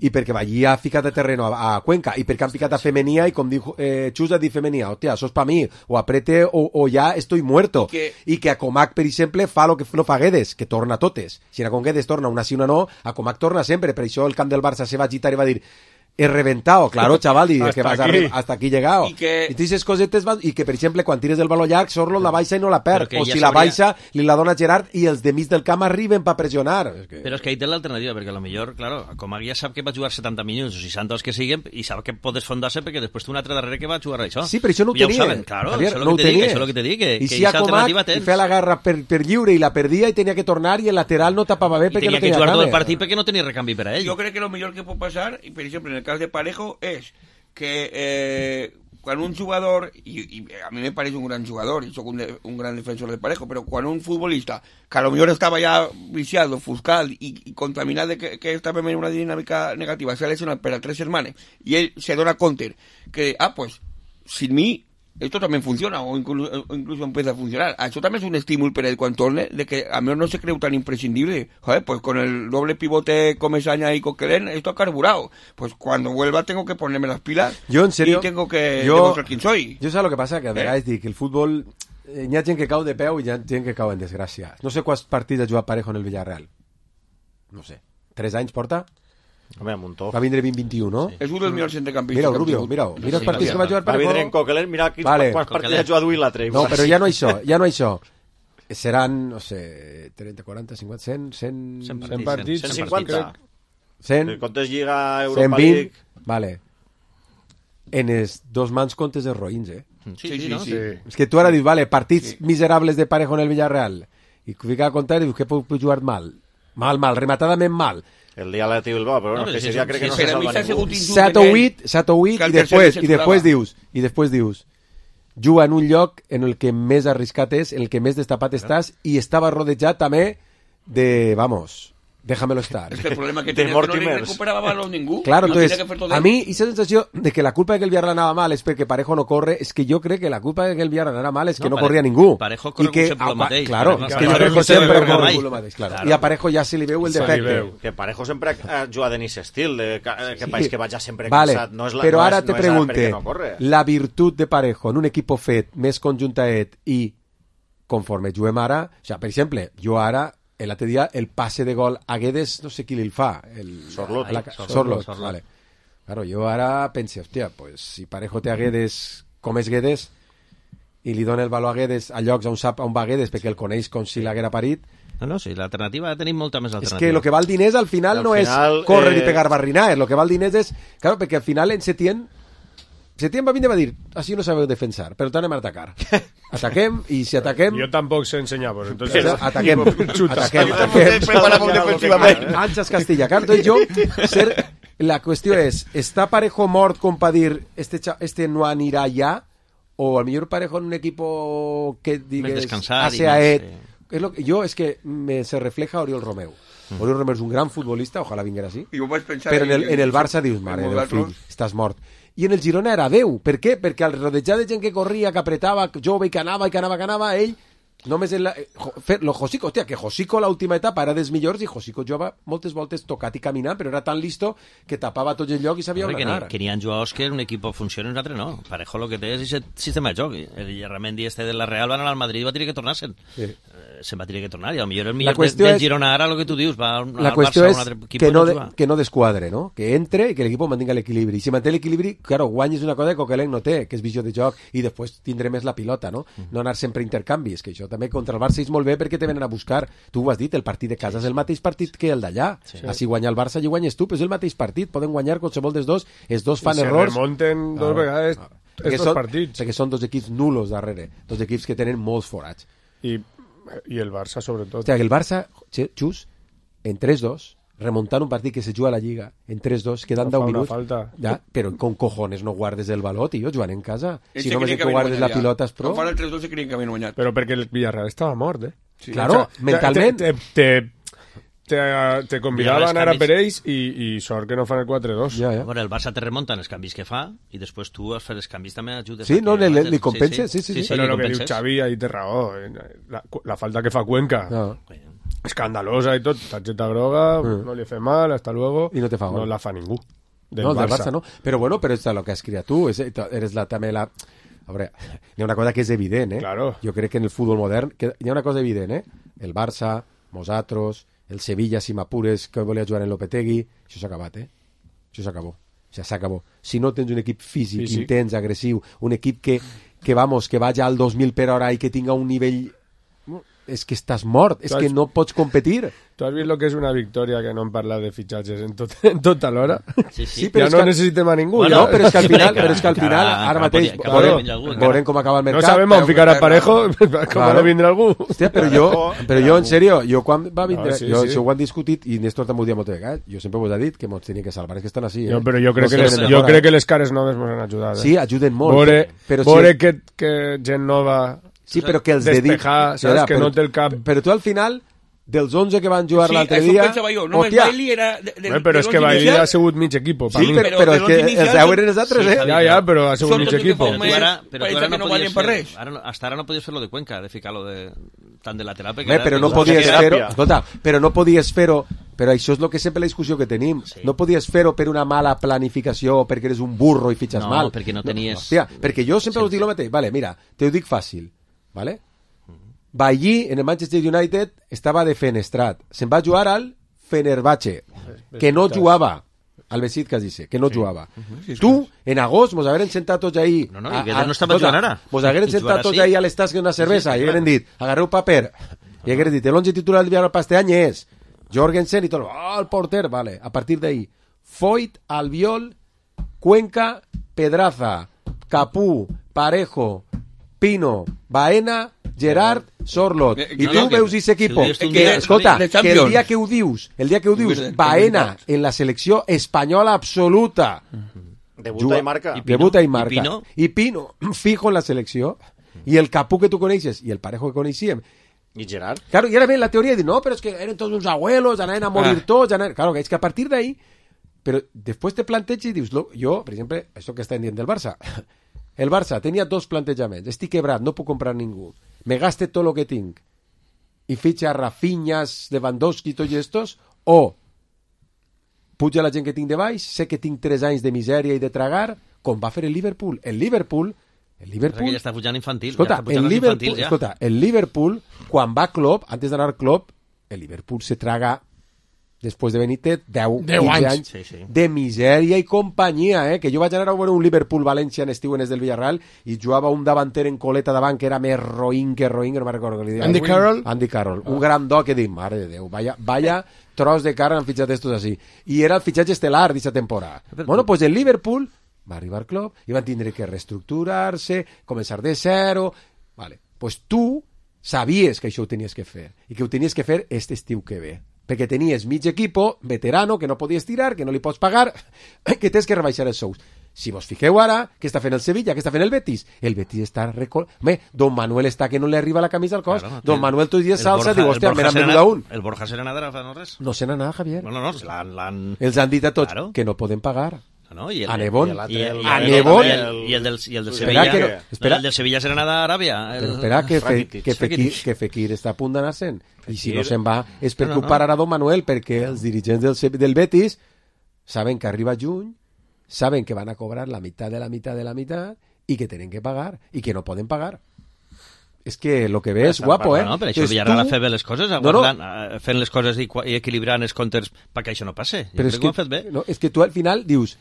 i perquè Ballí ha ficat de terreno a, a Cuenca, i perquè han ficat a Femenia, i com diu eh, Xus ha dit Femenia, hòstia, això és pa mi, o aprete o, o ja estoy muerto. I que, I que a Comac, per exemple, fa lo que no fa Guedes, que torna totes. Si a con Guedes torna una sí una no, a Comac torna sempre, per això el camp del Barça se va agitar i va dir he reventado, claro, chaval, y que vas aquí. A, hasta aquí llegado. Y que... Y dices cosetes, y que, per exemple, quan tires del baló llarg, Sorlo la baixa i no la perd. O si ja la baixa, li la dona Gerard i els de mig del camp arriben per pressionar. És que... Però és que ahí té l'alternativa, perquè a lo millor, claro, com ja sap que va jugar setanta minuts o seixanta els que siguen, i sap que pot desfondar-se perquè després té un altre darrere que va jugar això. Sí, però això no ho ja tenia. Ho saben, claro, Javier, això és no el que te dic, això és el que te dic, que, I que si a Comac i feia la guerra per, per lliure i la perdia i tenia que tornar i el lateral no tapava bé perquè no tenia que jugar tot el partit perquè no tenia recanvi per a ell. Jo crec que el millor que pot passar, i per exemple en el cas de Parejo, és que eh, quan un jugador, i, i a mi me pareix un gran jugador, i soc un, de, un gran defensor de Parejo, però quan un futbolista, que a lo millor estava ja viciat, ofuscat i, i contaminat de que, que estava en una dinàmica negativa, s'ha lesionat per a tres setmanes, i ell se dona compte que, ah, pues, sin mi esto también funciona, o incluso, o incluso empieza a funcionar. Eso también es un estímulo para él cuando torne, de que a mí no se cree tan imprescindible. Joder, pues con el doble pivote Comesaña y Coquelin, esto ha carburado. Pues cuando vuelva tengo que ponerme las pilas. Yo, en serio, y tengo que yo, demostrar quién soy. Yo sé lo que pasa, que a vegades eh? dic que el futbol eh, hi ha gent que cau de peu i hi ha gent que cau en desgràcia. No sé quants partits ha jugat Parejo en el Villarreal. No sé. Tres anys porta? Home, un muntó. Va vindre vint vint-i-u, no? Sí. És un dels millors centrecampistes. Mira, Rubio, mira, mira els partits sí, que va jugar Parejo. Va vindre en Coquelin, mira quins vale. Quants partits ha jugat avui l'altre. No, però ja no això, ja no això. Seran, no sé, trenta, quaranta, cinquanta, cent, cent... cent partits. cent cinquanta. cent. Comptes Lliga, Europa League... Vale. En els dos mans comptes de Roïns, eh? Sí, sí, sí, no? sí. És que tu ara dius, vale, partits sí. miserables de Parejo en el Villarreal. I fica a comptar i dius que pot jugar mal. Mal, mal, rematadament mal. El dia l'Atleti Bilbao, però bueno, no, que seria crec que no se salva ningú. set o vuit, set o vuit, i després, i després dius, i després dius, juga en un lloc en el que més arriscat és, en el que més destapat estàs, i estava rodejat també de, vamos, déjamelo estar. Es que el problema que tenía es que no le recuperaba balón ningú. Claro, no entonces, a mí esa sensación de que la culpa de que el Villarreal anava mal es perquè Parejo no corre, es que yo creo que la culpa de que el Villarreal anava mal es que no, no corria ningú. Parejo corre que, sempre el mateix. Claro, Parejo, es que jo crec que sempre corre el mateix, claro. claro. I a Parejo ja se li veu el defecte. Que Parejo sempre ha jugat en aquest estil, de que sí. País que vaja sempre vale. cansat. No és la, però no ara és, te no pregunte, no corre. la virtut de Parejo en un equip fet, més conjuntaet i conforme juguem ara, o sigui, per exemple, jo ara l'altre dia el passe de gol a Guedes, no sé qui li fa. El, Sorloth. La, Sorloth, Sorloth, vale. Claro, jo ara pense, hòstia, pues, si Parejo té a Guedes com és Guedes i li dona el valor a Guedes a llocs on sap on va Guedes perquè el coneix com si l'haguera parit. No, no, sí, l'alternativa tenim molta més alternativa. És que el que val diners al final al no final, és córrer eh... i pegar barrinaes, el que val diners és... Claro, perquè al final en Setién Setién va vindre i va dir, així no sabeu defensar, però t'anem a atacar. Ataquem, i si ataquem... Jo tampoc sé ensenyar, pues, entonces... Ataquem, ataquem, ataquem. Preparamos defensivament. Anxas Castilla. Claro, entonces jo, ser... la qüestió és, està Parejo mort com per dir, este, este no anirà ja, o al millor Parejo en un equipo que digues... Més descansat. A E T. Es lo que, yo es que me se refleja Oriol Romeu. Mm. Oriol Romeu es un gran futbolista, ojalá viniera así. Pero en el, en el Barça dius, mare Déu, fill, estàs mort. I en el Girona era Déu. Per què? Perquè al rodejar de gent que corria, que apretava, jove i que anava, i que anava, que anava, ell només en la... Lo Josico, hòstia, que Josico l'última etapa era dels millors i Josico jugava moltes voltes tocat i caminant, però era tan listo que tapava tot el lloc i sabia on anar. Que n'hi ha jugadors que un equip funciona i un altre no. Parejo lo que té és aquest sistema de joc. El Ramendi este de la Real va anar al Madrid i va tenir que tornar-se'n. Sí. Se'n va tenir que tornar i potser el millor del és... Girona ara, el que tu dius, va al la Barça o a un altre equip. Que no, de, que no desquadre, no? Que entre i que l'equip mantinga l'equilibri. I si manté l'equilibri, claro, guanyes una cosa que Coquelin no té, que és visió de joc, i després tindré més la pilota, no? Mm. No anar sempre a intercanvis, que això també contra el Barça és molt bé perquè te venen a buscar. Tu ho has dit, el partit de casa és el mateix partit que el d'allà. Sí. Així guanya el Barça i guanyes tu, però és el mateix partit. Poden guanyar qualsevol dels dos, els dos fan I errors. Se remonten dos ah, vegades ah, estos són, partits. Perquè són dos equips nulos darrere, dos equips que tenen molts forats. I i el Barça sobretot. O sigui, el Barça, Xus, en tres dos, remuntant un partit que se juga a la Lliga en tres dos, quedant no deu minuts, ja, però con cojones no guardes el baló, tio, jugant en casa. Ell si només que guardes la pilota és pro. Quan fan el tres dos se creien que havien guanyat. Però perquè el Villarreal estava mort, eh? Sí. Claro, o sea, mentalment... Te, te, te, te convidava a anar a per ells i, i sort que no fan el quatre dos. Ja, ja. Bueno, el Barça te remunta en els canvis que fa i després tu a fer els canvis també ajudes. Sí, no, li, li compensa, sí, sí. sí, sí, sí però el que diu Xavi ahí té raó. La, la falta que fa Cuenca, no. Escandalosa i tot, targeta groga, mm. no li fa mal, hasta luego. I no te fa gol. No la fa ningú. Del no, Barça. del Barça no. Però bueno, però és el que has criat tu, és, eres la, també la... A veure, hi ha una cosa que és evident, eh? Claro. Jo crec que en el futbol modern que hi ha una cosa evident, eh? El Barça, nosaltres, el Sevilla, si m'apures, que volia jugar en Lopetegui, això s'ha acabat, eh? Això s'acabó. O sea, s'acabó. Si no tens un equip físic, físic, intens, agressiu, un equip que, que vamos, que vagi al dos mil per hora i que tinga un nivell... És que estàs mort, és has... que no pots competir. Tu has vist el que és una victòria que no hem parlat de fitxatges en, tot, en tota l'hora? Sí, sí. Sí, però ja no que... necessitem a ningú. Bueno, ja. No, però és que al final, però és que al final ara mateix veurem com acaba el mercat. No sabem on ficar a Parejo, com ha de vindre algú. Hòstia, però jo, però jo en sèrio, jo quan va vindre, no, sí, jo, sí. això ho han discutit i Néstor també ho dia moltes vegades, jo sempre us he dit que ens tenien que salvar, és que estan així, eh? No, però jo crec, no que, les, jo crec que les cares noves ens han ajudat. Eh? Sí, ajuden molt. Vore, però vore si... que, que gent nova... Sí, però que els despejar, dedic... saps? Que però, no té el cap... Però tu al final, dels onze que van jugar sí, l'altre dia... Sí, això pensava jo. Només Bailey era... De, de, Bé, però és que Bailey ha sigut mig equip. Sí, però, però, però és que els deu eren els altres, eh? Ja, ja, però ha sigut mig equip. Però tu ara, però tu ara no podies fer... Ara, hasta ara no podies fer-lo de Cuenca, de ficar-lo de... tant de lateral. Bé, però no podies fer-ho... Escolta, però no podies fer-ho... Però això és el que sempre la discussió que tenim. Sí. No podies fer-ho per una mala planificació o perquè eres un burro i fitxes no, mal. No, perquè no tenies... No, hòstia, perquè jo sempre sí. us dic el mateix. Vale, mira, te ho dic fàcil. Vale? Bailly, en el Manchester United, estava defenestrat. Se'n va jugar al Fenerbahce, que no jugava. Al Besiktas, dice, que no sí. jugava. Uh-huh. Sí, tu, en agost, mos hagueren sentat tots ahí... No, no, i que no estava jugant ara. Mos hagueren sentat tots ahí a l'estat que una cervesa, sí, sí, i hagueren dit, agarreu paper, i hagueren dit, el once titular del Villarreal este any és Jorgensen i tot, oh, el porter, vale, a partir d'ahí, Foyt, Albiol, Cuenca, Pedraza, Capú, Parejo, Pino, Baena, Gerard, Sorloth. I tu veus aquest equipo. Escolta, que el dia que ho dius, el dia que ho dius, Baena en la selecció espanyola absoluta. Debuta i marca. Debuta i marca. I Pino, fijo en la selecció. I el Capú que tu coneixes, i el Parejo que coneixíem. I Gerard. Claro, i ara ve la teoria de, no, però és que eren tots uns abuelos, anaven a morir tots. Claro, que és que a partir d'ahí, però després te planteges i dius, jo, per exemple, això que està dient del Barça, el Barça tenia dos plantejaments. Estic quebrat, no puc comprar ningú. Me gaste tot lo que tinc i fitxa Rafinhas, Lewandowski i tots estos, o puja la gent que tinc de baix, sé que tinc tres anys de misèria i de tragar, com va fer el Liverpool. El Liverpool... El Liverpool... Ja està pujant infantil. Escolta, ja està el Liverpool, ja. escolta, el Liverpool, quan va Klopp, antes d'anar Klopp, el Liverpool se traga, després de Benítez, deu, deu quinze anys, anys sí, sí. de misèria i companyia, eh? Que jo vaig anar a veure un Liverpool-València en estiu en el del Villarreal i jugava un davanter en coleta davant que era més roïn que roïn, que no me'n recordo que li deia. Andy Carroll? Andy Carroll, un gran doc que dic, mare de Déu, vaya, vaya tros de cara han fitxat estos així. I era el fitxatge estel·lar d'aquesta temporada. Bueno, pues el Liverpool va arribar al club i van tindre que reestructurar-se, començar de zero. Vale, pues tu sabies que això ho tenies que fer i que ho tenies que fer este estiu que ve, perquè tenies mig equipo veterano que no podies tirar, que no li pots pagar, que tens que rebaixar els sous. Si vos fixeu ara, què està fent el Sevilla, què està fent el Betis? El Betis està... Recol... Home, Don Manuel està que no li arriba la camisa al cos. Claro, Don Manuel tots els dies salsa, diu, hòstia, me n'han venut a un. El Borja Serenadera fa no res? No se n'ha anat, Javier. No, no, no, l'han... l'han... Els han dit a tots claro. que no poden pagar. No, i el, a Nebon, i el, a Nebon, i el, i el del, i el del Sevilla, que, espera, el del Sevilla serà anar a Aràbia. El, però espera, que, fe, que, Fekir, que Fekir està a punt d'anar-se'n, i si no se'n va és perquè no, no, no. ho pararà Don Manuel, perquè els dirigents del, del Betis saben que arriba juny, saben que van a cobrar la meitat de la meitat de la meitat i que tenen que pagar, i que no poden pagar. És que lo que ve és guapo, eh? No, però això Villarreal ha fet bé les coses, no, no. fent les coses i, i equilibrant els comptes perquè això no passe. Jo però és que, ho han fet bé. No, és que tu al final dius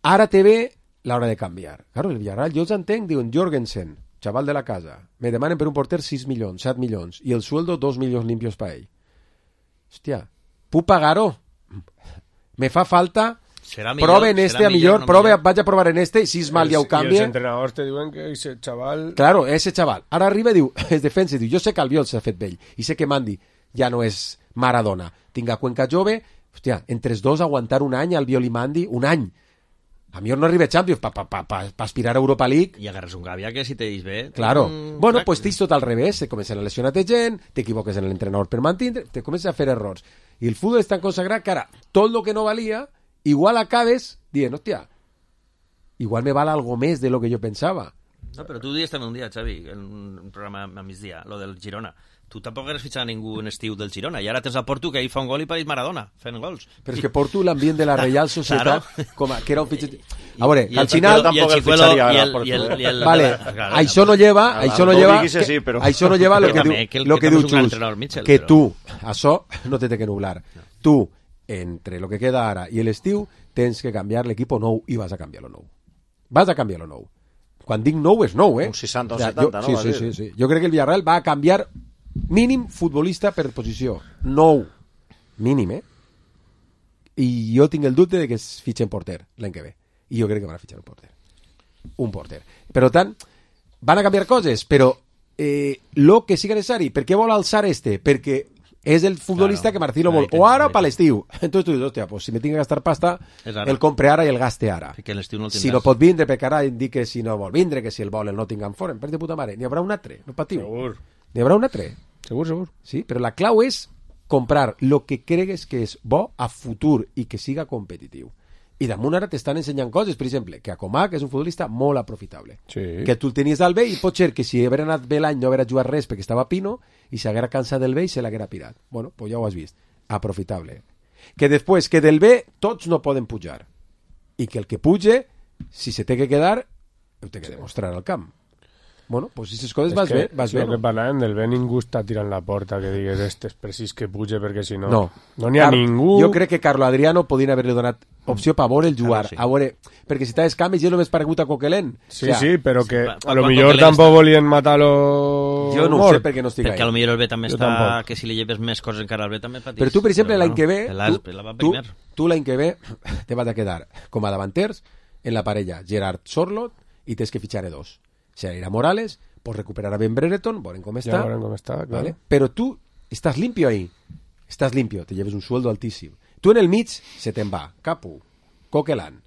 ara te ve l'hora de canviar. Claro, el Villarreal, jo els entenc, diuen Jorgensen, chaval de la casa, me demanen per un porter sis milions, set milions, i el sueldo dos milions limpios para ell. Hòstia, puc pagar-ho? Me fa falta... Serà millor, prove en este, serà a millor, no prove, millor. vaig a provar en este, si és mal ja ho canvia. I els entrenadors te diuen que ese chaval... Claro, ese chaval. Ara arriba i diu, es defensa i diu, jo sé que Albiol s'ha fet vell, i sé que Mandi ja no és Maradona. Tinc a Cuenca jove, hòstia, entre els dos aguantar un any, Albiol i Mandi, un any. A millor no arriba a Champions per pa, pa, pa, pa aspirar a Europa League. I agarres un Gavia que si te dis bé... Claro. Un... Bueno, pues t'his tot al revés. Se comencen a lesionar-te gent, t'equivoques en l'entrenador per mantindre, te comences a fer errors. I el futbol és tan consagrat que ara, tot el que no valia, igual acabes dient, hòstia, igual me val algo més de lo que jo pensava. No, però tu dius també un dia, Xavi, en un programa a migdia, lo del Girona. Tu tampoc eres fitxat a ningú en estiu del Girona, i ara tens a Porto que ahí fa un gol i pareix Maradona, fent gols. Però és que Porto l'ambient de la Reial Societat, claro. com a, que era un fitxat... A veure, al final... Tampoc el fitxaria ara, Porto. Vale, això no lleva, això no lleva, això no lleva lo que diu, lo que diu Xus, que tu, això no te té que nublar. Tu, entre lo que queda ara i l'estiu, tens que canviar l'equip nou i vas a canviar-lo nou. Vas a canviar-lo nou. Quan dic nou és nou, eh? Un seixanta o o sea, setanta, jo, no? Sí, sí, sí, sí. Jo crec que el Villarreal va a canviar mínim futbolista per posició. Nou. Mínim, eh? I jo tinc el dubte de que es fitxen porter l'any que ve. I jo crec que van a fitxar un porter. Un porter. Per tant, van a canviar coses, però eh, lo que sigui necessari. Per què vol alçar este? Perquè és el futbolista claro, que Marcelo vol. O ara o per l'estiu. Entonces tu dius, hòstia, pues si me tinc que gastar pasta, el compre ara i el gaste ara. No si no pot vindre, perquè ara indique si no vol vindre, que si el vol el Nottingham Forest, per de puta mare. N'hi haurà un altre, no patiu. Segur. N'hi haurà un altre. Segur, segur. Sí, però la clau és comprar lo que cregues que és bo a futur i que siga competitiu. I damunt ara t'estan ensenyant coses, per exemple, que a Comac és un futbolista molt aprofitable. Sí. Que tu el tenies al bé i pot ser que si haguera anat bé l'any no haguera jugat res perquè estava Pino i s'haguera cansat del bé i se l'haguera pirat. Bueno, pues ja ho has vist. Aprofitable. Que després, que del bé tots no poden pujar. I que el que puge, si se té que quedar, ho té que demostrar al camp. Bueno, pues si aquestes coses vas bé, vas bé. El que parlàvem del bé, ningú està tirant la porta que digues este és precís que puge perquè si no... No. No n'hi ha Car ningú... Jo crec que Carlo Adriano podien haver-li donat opció per veure el jugar. Claro, sí. A veure, perquè si t'has canvis jo només paregut a Coquelin. Sí, o sea, sí, però que sí, a lo millor tampoc està... volien matar-lo... Jo no ho sé perquè no estic perquè ahí. a lo millor el bé també jo està... Tampoc. Que si li lleves més coses encara al bé també patís. Però tu, per exemple, l'any que ve... Tu, Tu, tu l'any que ve te vas a quedar com a davanters en la parella Gerard Sorlot i tens que fitxar dos. Serà Morales, pots recuperar a Ben Brereton, veurem com està. Ja veurem com està, claro. ¿Vale? Però tu estàs limpio ahí. Estàs limpio, te lleves un sueldo altíssim. Tu en el mig se te'n va Capu, Coquelin,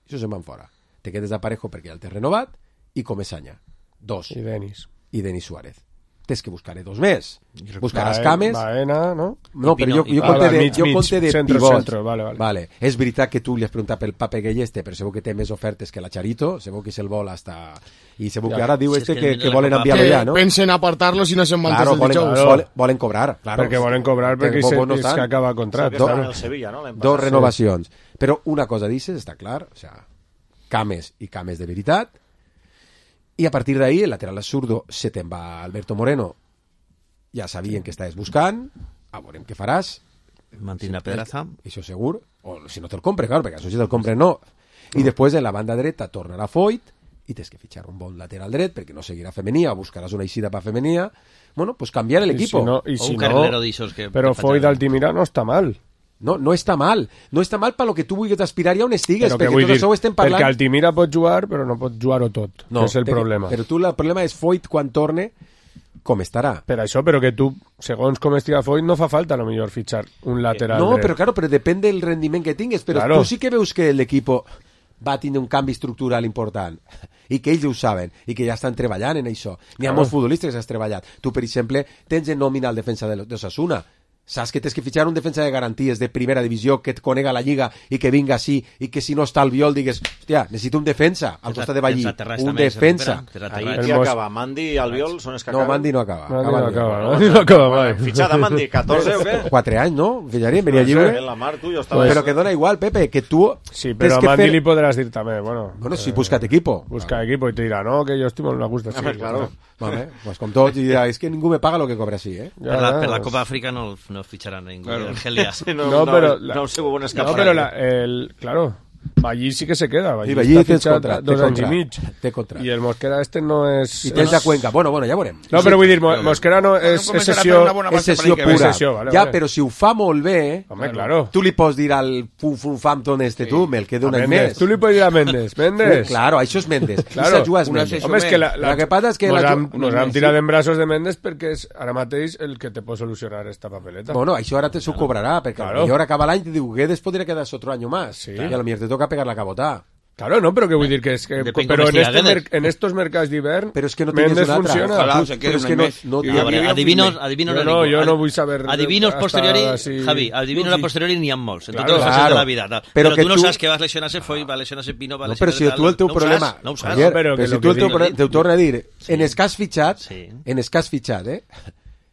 això se'n van fora. Te quedes de Parejo perquè ja el té renovat i Comesaña, dos. I Denis. I Denis Suárez. Tens que buscar dos més. Buscaràs cames. Baena, no? No, però jo, jo conte de, mig, jo mig, conte de centro, pivots. Centro, vale, vale. Vale. És veritat que tu li has preguntat pel Pape Galleste, però segur que té més ofertes que la Charito, segur que se'l vol hasta... I segur Ja. que ara diu Si este és que, que que volen enviar-lo ja, no? Pensen apartar-lo si no se'n van Claro, tots els volen, dijous. volen, volen cobrar, claro. Perquè volen cobrar perquè Porque se, no és estan. que acaba contracte. Que estaven Claro. al Sevilla, no? L'any Dos passat. renovacions. Però una cosa dices, està clar, o sea, cames i cames de veritat, i a partir d'ahí el lateral zurdo se te'n va Alberto Moreno, ja sabien que estaves buscant, a veurem què faràs. Mantindrà Pedraza. Això segur. O si no te'l compre, clar, perquè això si te'l compre no. I després en la banda dreta tornarà Foyt i tens que fitxar un bon lateral dret perquè no seguirà Femenia, buscaràs una eixida per Femenia. Bueno, pues canviar el equipo. Si no, y o si un no, carrilero d'ixos que... Però Foyt d'Altimira no està mal. No, no està mal. No està mal per lo que tu vulguis aspirar i on estigues, Però perquè vull tot dir, això ho estem parlant... Perquè Altimira pot jugar, però no pot jugar-ho tot. No, és el perquè, problema. Però tu el problema és Foyt quan torne, com estarà. Per això, però que tu, segons com estiga Foyt, no fa falta, a lo millor, fitxar un lateral No, dret. però claro, però depèn del rendiment que tingues. Però Claro. tu sí que veus que l'equip va tindre un canvi estructural important i que ells ho saben i que ja estan treballant en això. N'hi ha Claro. molts futbolistes que has treballat. Tu, per exemple, tens en nòmina el defensa de l'Osasuna. Saps que tens que fitxar un defensa de garanties de primera divisió que et conega la lliga i que vinga així i que si no està al Viol digues, hòstia, necessito un defensa al costat de Ballí, un defensa. Ahí qui acaba? Mandi i Albiol són els que No, acaben? Mandi no acaba. Mandi no Acaba acaba, Albiol. Mandi no acaba mai. Fitxada Mandi, catorze o què? Quatre anys, no? Fillaria, venia lliure. En la mar, tu, jo estava... Però que dona igual, Pepe, que tu... Sí, però a Mandi li podràs dir també, bueno... Bueno, si busca't equipo. Busca equipo i te dirà, no, que jo estic molt a gust així. Home, claro. Vale, pues com tots, i dirà, és que ningú me paga lo que cobra així, eh? Per la, per la Copa Àfrica no, no ficharà ningú. Claro. Argelia. No, No, no, pero no, la- no sé bon No, escapar. però la, el, claro, Ballí sí que se queda. Ballí Sí, Ballí està tens fitxat contract, dos té anys i contract, mig. té contract. I el Mosquera este no és... I tens a Cuenca. Bueno, bueno, ja veurem. No, però vull dir, Mo- Mosquera no és, és començarà sessió... per una bona És base sessió per l'any que ve. pura. Sessió, vale, Ja, vale. però si ho fa molt bé, Home, claro. tu li pots dir al Fum Fum Fampton este, tu, me'l quedo A un any Mendes. més. Tu li pots dir a Mendes. Mendes. Claro, això és Mendes. Claro. Esa juga és Una Mendes. sessió Home, és que la, la, El que passa és que nos la- han, una nos han més, tirat sí. en braços de Mendes perquè és ara mateix el que te pot solucionar esta papeleta. Bueno, això ara te s'ho cobrarà, perquè Claro. claro. millor acaba l'any i te diu, Guedes podria quedar-se otro año más. Sí. Y a lo mejor te toca pegar la cabota. Claro, no, però que vull dir que és que... Depèn Però com en, estigui este Guedes. mer, en estos mercats d'hivern Però és que no tingues Mendes una altra. funciona. Ojalá Tú- se però quede és un que no, mes. no, I A ja veure, havia adivinos, firme. adivinos Jo a no, ningú. jo no vull saber... Adivinos hasta posteriori, así- Javi, adivinos a posteriori n'hi ha molts, en Claro, totes les fases claro. de la vida. Tal. Però Però, que tu no tu- saps que vas lesionar-se Foy, va lesionar-se Pino, va No, lesionar-se però si tal, tu el teu no ho problema... saps, no ho saps. Javier, No, però però que si lo tu el que teu, dic- pro- teu torna a dir, Sí. en els que has fitxat, Sí. en els que has fitxat, eh?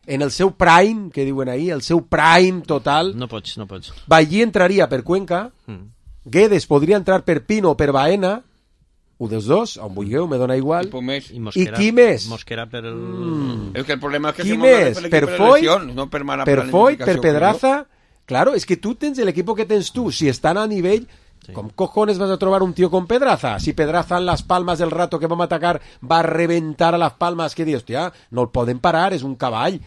En el seu prime, que diuen ahir, el seu prime total, No pots, no pots. Ballí entraria per Cuenca, Mm. Guedes podria entrar per Pino o per Baena, un dels dos, on vulgueu, me dona igual. Tipo més. I Mosquera, qui més? Mosquera per el... Mm. És que el problema és que Qui se mueve més? per Per l'equip de Foyt? lesions, no per mala Per Foyt, per planificació, Pedraza... Claro, es que tú tens el equipo que tens tú. Si están a nivel... ¿Cómo cojones vas a trobar un tío con Pedraza? Si Pedraza en Las Palmas del rato que vamos a atacar va a reventar a Las Palmas, que dius, hostia, no el poden parar, és un cavall.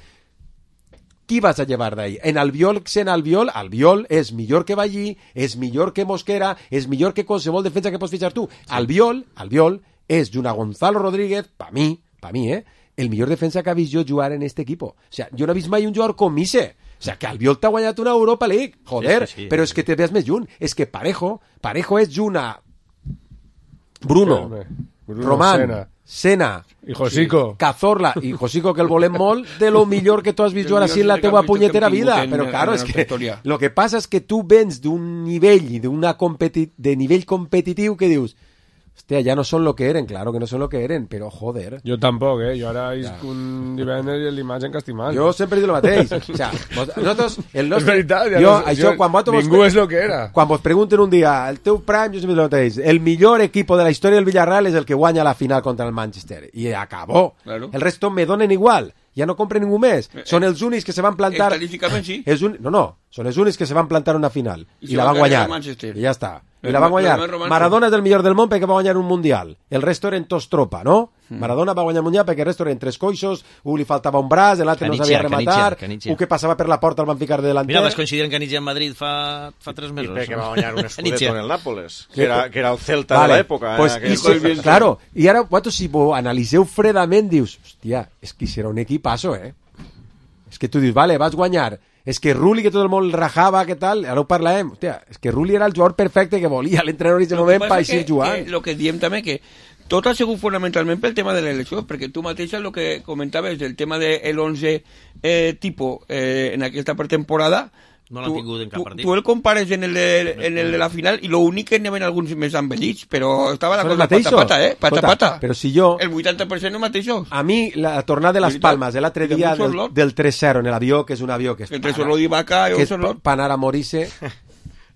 Qui vas a llevar d'ahí? En Albiol, en Albiol, Albiol és millor que Ballí, és millor que Mosquera, és millor que qualsevol defensa que pots fitxar tu. Albiol, Albiol, és junt a Gonzalo Rodríguez, pa mi, pa mi, eh? El millor defensa que ha vist jo jugar en este equipo. O sea, jo no he vist mai un jugador com Mise. O sea, que Albiol t'ha guanyat una Europa League. Joder, Sí, sí, sí. però és que te ves més junt. És que Parejo, Parejo és junt a Bruno, Home, Bruno, Román, Sena. Sena, I Josico. Cazorla i Josico, que el volem molt, de lo millor que tu has vist jugar així en la teua punyetera vida. Però claro, és que lo que passa és que tu vens d'un nivell i d'una competi de nivell competitiu que dius, hòstia, ja no són lo que eren, claro que no són lo que eren, però joder. Jo tampoc, eh? Jo ara isc un divendres i l'imatge que estic mal. Jo sempre dic el mateix. O sea, vos, nosaltres, el nostre... És veritat, ja jo, no- això, jo- quan vosaltres vos ningú pre- és lo que era. Quan vos pregunten un dia, el teu prime, jo sempre dic el mateix, el millor equipo de la història del Villarreal és el que guanya la final contra el Manchester. I acabó. Claro. El resto me donen igual. Ja no compren ningú més. Són els únics que se van plantar... Estadísticament sí. És un... No, no. Són els únics que se van plantar una final. I I, se la van van guanyar. carregar el Manchester. I ja està. I El- la van el guanyar. més romàntic. Maradona és el millor del món perquè va guanyar un Mundial. El resto eren tots tropa, no? Maradona va guanyar el Mundial perquè el resto eren tres coixos, un li faltava un braç, l'altre no sabia Canitxia, rematar, Canitxia, Canitxia. un que passava per la porta el van ficar de delanter. Mira, vas coincidir en Canitxia en Madrid fa, fa tres I mesos. perquè va guanyar un Canitxia. escudeto en el Nápoles, que era, que era el Celta Vale, de l'època. pues, eh, i aquell- si, claro, i ara, vosaltres, si ho analiseu fredament, dius, hòstia, és que serà un equipazo, eh? És que tu dius, vale, vas guanyar. És que Rulli, que tot el món el rajava, que tal, ara ho parlem. Hòstia, és que Rulli era el jugador perfecte que volia l'entrenador en aquest moment per així jugant. El que diem també que tot ha sigut fonamentalment pel tema de l'elecció, perquè tu mateixa el que comentaves del tema del once eh, tipo eh, en aquesta pretemporada, No l'han tingut en cap tu, partit. tu el compares en el, de, en el de la final i l'únic que n'hi havia alguns més envellits, però estava la Són els cosa mateixos. pata-pata, eh? Pata-pata. Escolta, però si jo... El vuitanta per cent no mateixos. A mi, la tornada de les Veritat. Palmes de l'altre I de dia un del, sorlot. del tres zero en l'avió, que és un avió que és Entre Sorlot i Vaca i que un és Sorlot. per anar a morir-se.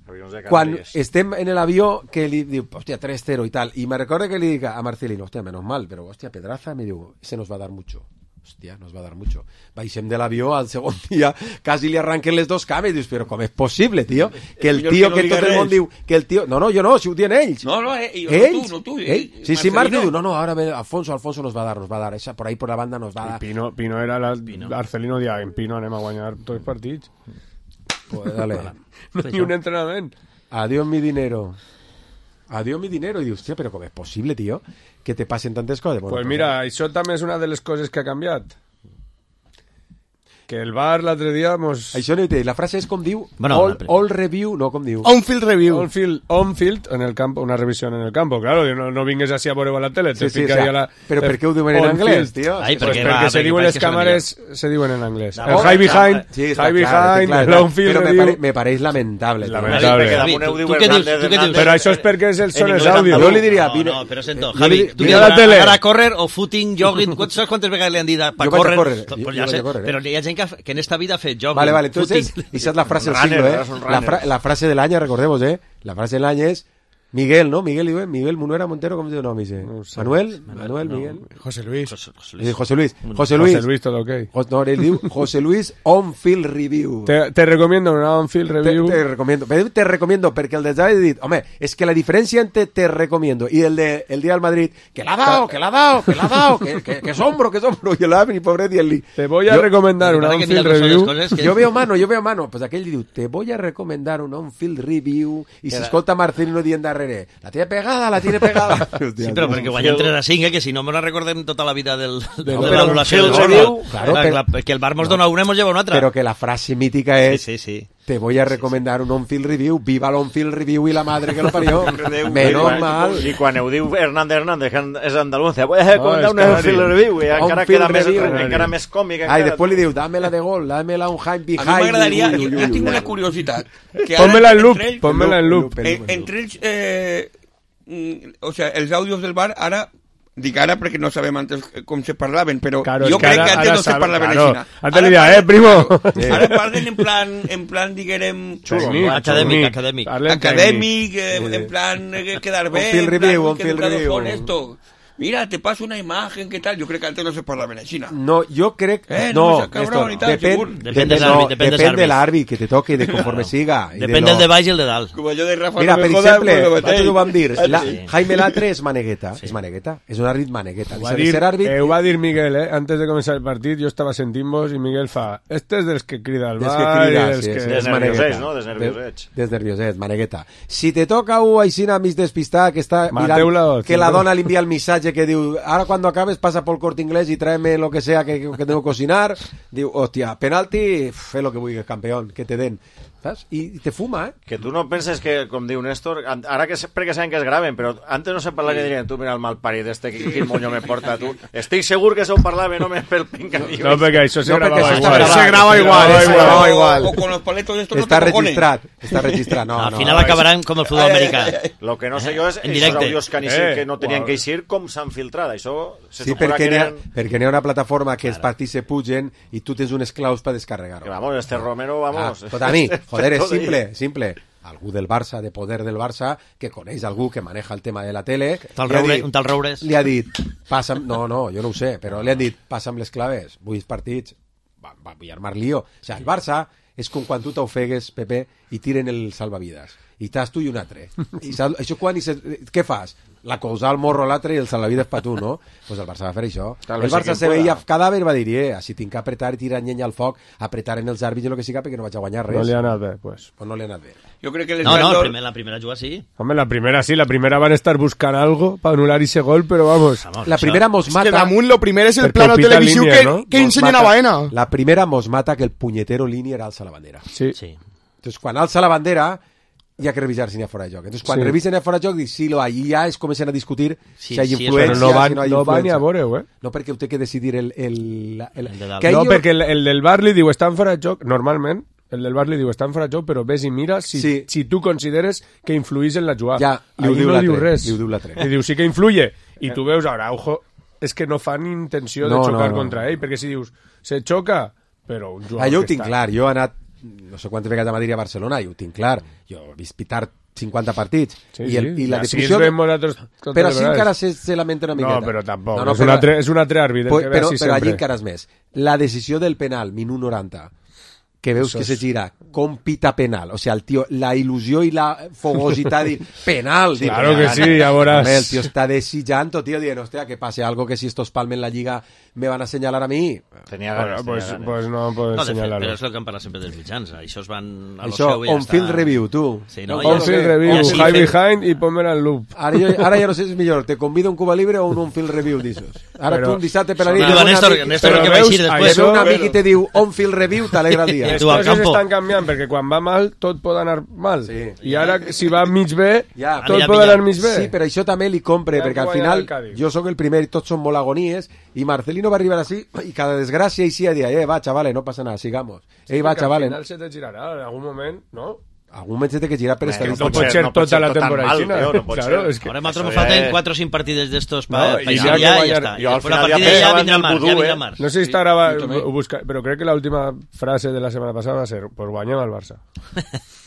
Avions de Quan Canàries. estem en l'avió, que li diu, hòstia, tres cero i tal, i me recorda que li dic a Marcelino, hòstia, menos mal, però hòstia, Pedraza, me diu, se nos va a dar mucho. hòstia, nos va dar mucho. Baixem de l'avió, al segon dia quasi li arranquen les dos cames, i dius, però com és possible, tio? Que el tio, que tot el món diu, que el tio... No, no, jo no, si ho diuen ells. No, no, eh, jo, ells? no tu, no tu. Eh? Sí, sí, Marc diu, no, no, ara ve Alfonso, Alfonso nos va dar, nos va dar, esa, por ahí por la banda nos va dar. Pino, Pino era la... Pino. Arcelino dia, en Pino anem a guanyar tots els partits. Pues dale. No ni un entrenament. Adiós mi dinero. Adiós mi dinero. I dius, hòstia, però com és possible, tio, que te passen tantes coses? Bueno, pues mira, pues, això també és una de les coses que ha canviat. Que el bar l'altre dia mos... Això no hi té. La frase és com diu, bueno, all, all review, no com diu. On-field review. On-field, on-field en el campo, una revisión en el campo. Claro, no, no vingues así a veure a la tele. Sí, sí, o sea, la, però per què ho diuen en anglès, tio? Ai, pues perquè, perquè va, se perquè diuen les càmeres, se diuen en anglès. El oh, high behind, sí, high clar, behind, clar, long-field però review... me, pare, me pareix lamentable. Lamentable. David, tu, tu, què dius? Tu què dius? Però això és perquè és el son és àudio. Jo li diria... No, no, però sento, eh, Javi, tu mira la tele. Ara córrer o footing, jogging, saps quantes vegades li han dit per córrer? córrer. Pues ja sé, però hi ha gent que, que en esta vida ha fet jogging, Vale, vale, entonces, footing. esa es la frase del Runner, siglo, ¿eh? runner. La, fra la frase del año, recordemos, ¿eh? La frase del año es Miguel, ¿no? Miguel, ¿eh? Miguel Munuera Montero, ¿cómo se llama? No, Manuel, Manuel, no, Miguel. José Luis. José, José Luis. Luis. José Luis. José Luis. José Luis, todo ok. No, él diu José Luis On-Field Review. Te, te recomiendo una on-field review. Te, te recomiendo. Te, te recomiendo, perquè el de David dit, home, és que la diferència entre te recomiendo i el de el día del Madrid, que l'ha dado, que l'ha dado, que l'ha dado, que, que, que sombro, que sombro, i l'Avi, pobret, i el li. Te voy a yo, recomendar una on-field review. Que... Yo veo mano, yo veo mano. Pues aquell diu, te voy a recomendar una on-field review, i si escolta Marcelino dient darrere, la tiene pegada, la tiene pegada. Sí, però perquè guanyem tres a cinc, eh, que si no me la recordem tota la vida del, de, no, de l'anul·lació del review, claro, la, pero, la, que el bar mos dona una i mos lleva una altra. Però que la frase mítica és sí, sí, sí. Te voy a recomendar un on-field review, viva l'on-field review i la madre que lo parió. Menos mal. I quan ho diu Hernández Hernández, que és andalúncia, voy a recomendar un on-field review, i encara queda més, encara més còmic. Ah, i després li diu, dámela de gol, dámela un high behind. A mi m'agradaria, jo tinc una curiositat. Pónmela en loop, pónmela en loop. Entre ells, eh, o sea, els àudios del bar ara... Dic ara perquè no sabem antes com se parlaven, però claro, jo crec ara, que antes no sabe, se parlaven claro. així. Antes li dia, eh, primo? Ara parlen en plan, en plan diguem... Tècnic, acadèmic, acadèmic. Acadèmic, eh, en plan eh, quedar bé, en plan review, que educados son esto. Mira, te paso una imagen, ¿qué tal? Yo creo que antes no se parlava en China. No, yo creo que... Eh, no, no cabrón, esto, tal, depèn, depèn, depèn, no, depèn, depèn de l'àrbit que te toque, de conforme siga. Depèn de del de baix i el de dalt. Com jo de Rafa Mira, no per me joda, exemple, pues nosaltres ho vam dir, la, sí. Jaime Latre és manegueta, sí. és manegueta, és un àrbit manegueta. Ho va, dir, eh, ho va dir Miguel, eh? Antes de començar el partit, jo estava sentint-vos i Miguel fa, este és dels que crida al bar, que crida, dels sí, que... Sí, des nerviosets, no? Des nerviosets. Des nerviosets, manegueta. Si te toca un aixina mig despistat que està mirant, que la dona li envia el missatge que diu, ara quan acabes passa por el Corte Inglés y tráeme lo que sea que, que tengo que cocinar, diu, hòstia, penalti, fe lo que vulguis, campeón, que te den. Saps? I te fuma, eh? Que tu no penses que, com diu Néstor, ara que perquè saben que es graven, però antes no se parlava que dirien, tu mira el malparit este, quin, quin moño me porta tu. Estic segur que se ho parlava només pel pincadillo. No, perquè això se no, grabava això igual. Se grava igual, se grava igual. O con los paletos estos Está no te registrat, està registrat. No, al no, final no, acabaran com el futbol americà. Lo que no sé jo és en aquests àudios que, eh, que no tenien que eixir, com s'han filtrat. Això se sí, perquè n'hi ha, perquè n'hi ha una plataforma que els partits se pugen i tu tens unes claus per descarregar-ho. Que vamos, este Romero, vamos... Ah, tot a mi, joder, és simple, simple. Algú del Barça, de poder del Barça, que coneix algú que maneja el tema de la tele... Tal Roure, dit, un tal Roures. Li ha dit, passa'm... No, no, jo no ho sé, però li han dit, passa'm les claves, vull partits, va, va, vull armar lío. O sigui, el Barça és com quan tu t'ofegues, Pepe, i tiren el salvavides. I estàs tu i un altre. I saps, això quan... I se, què fas? La cosa al morro a l'altre i el salvavides per tu, no? Doncs pues el Barça va fer això. Tal el Barça se veia cadàver, va dir, eh, si tinc que apretar i tirar llenya al foc, apretar en els àrbits i el que siga perquè no vaig a guanyar res. No li ha anat bé, pues. Pues no li ha anat bé. Jo crec que no, no, el primer, la primera juga sí. Home, la primera sí, la primera van estar buscant algo para anular ese gol, pero vamos. vamos la primera mos mata. Es que damunt lo primer és el plano televisiu que, ¿no? que ensenyen a Baena. La primera mos mata que el punyetero línia era alça la bandera. Sí. sí. Entonces, quan alça la bandera, hi ha que revisar si n'hi ha fora de joc. Entonces, quan sí. revisen n'hi ha fora de joc, dic, sí, lo, allí ja es comencen a discutir sí, si hi ha sí, influència, no van, si no hi ha no influència. van ni a veure-ho, eh? No, perquè ho té que decidir el... el, el, el que no, jo... perquè el, el del bar li diu, estan fora de joc, normalment, el del bar li diu, estan fora de joc, però ves i mira si, sí. si tu consideres que influís en la jugada. Ja, li ho diu no l'altre. Diu res. Li ho diu l'altre. Li diu, sí que influye. I tu veus, ara, ojo, és que no fan intenció no, de xocar no, no. contra ell, perquè si dius, se xoca, però un jugador ah, jo ho que tinc està... clar, jo he anat no sé quantes vegades a Madrid i a Barcelona i ho tinc clar, jo he vist pitar cinquanta partits. Sí, I, el, sí. i la Així definició... ens veiem nosaltres totes Però les així vegades. encara se, se lamenta una miqueta. No, però tampoc. No, no, és, però- un altre, és un altre àrbitre Pues, que ve però, així però allí sempre. encara és més. La decisió del penal, minut noranta, que veus Eso que es- se gira con pita penal. O sea, el tío, la ilusió i la fogositat i penal. dic, Claro que "Ah, sí, ya verás". Hombre, el tío está desillando, tío, diciendo, hostia, que pase algo que si estos palmen la liga me van a señalar a mí. Tenia Bueno, ganes, pues, tenia ganes. pues no puedes No, de fet, señalarlo. però és el que han parlat sempre dels mitjans. Això es van... A lo Això, seu i ja on-field està. review, tu. Sí, no? On-field Ja- review, ja sí, high fet- behind y ponme en loop. Ara, jo, ara ja no sé si és millor, te convido a un Cuba Libre o un on-field review d'aixos. Ara Però- tu un dissabte per la nit... Diu ve a un Néstor, amic- Néstor Però que va veus, eixir Ve després. un amic i te diu on-field review, t'alegra el dia. Eh, Les tu al coses campo. estan canviant, perquè quan va mal tot pot anar mal. Sí. I ara, si va mig bé, Ja, tot mira, pot mira. anar mig bé. Sí, però això també li compre, Ja perquè al guanya final el Cádiz. jo sóc el primer i tots són molt agonies, i Marcelino va arribar així, i cada desgràcia i sí a dir, eh, va, chavales, no passa nada, sigamos. Ei, va, Perquè chavales. Al final se te girarà en algun moment, no? Algun moment se té que girar per Eh, estadística. No pot ser no pot tota ser la tot tan temporada mal, xina. tio, no pot Claro, ser. és que... Ahora nosotros Eso faltan es- cuatro sin partidos de estos No, para y pa ya ya, que ya, vaya- está. yo al Después la final ya partida ya pensaba en vendrá el más, vudú, ya eh. vendrá más. No sé si està gravat, ho busca, però crec que l'última frase de la setmana passada va ser pues guanyem el Barça.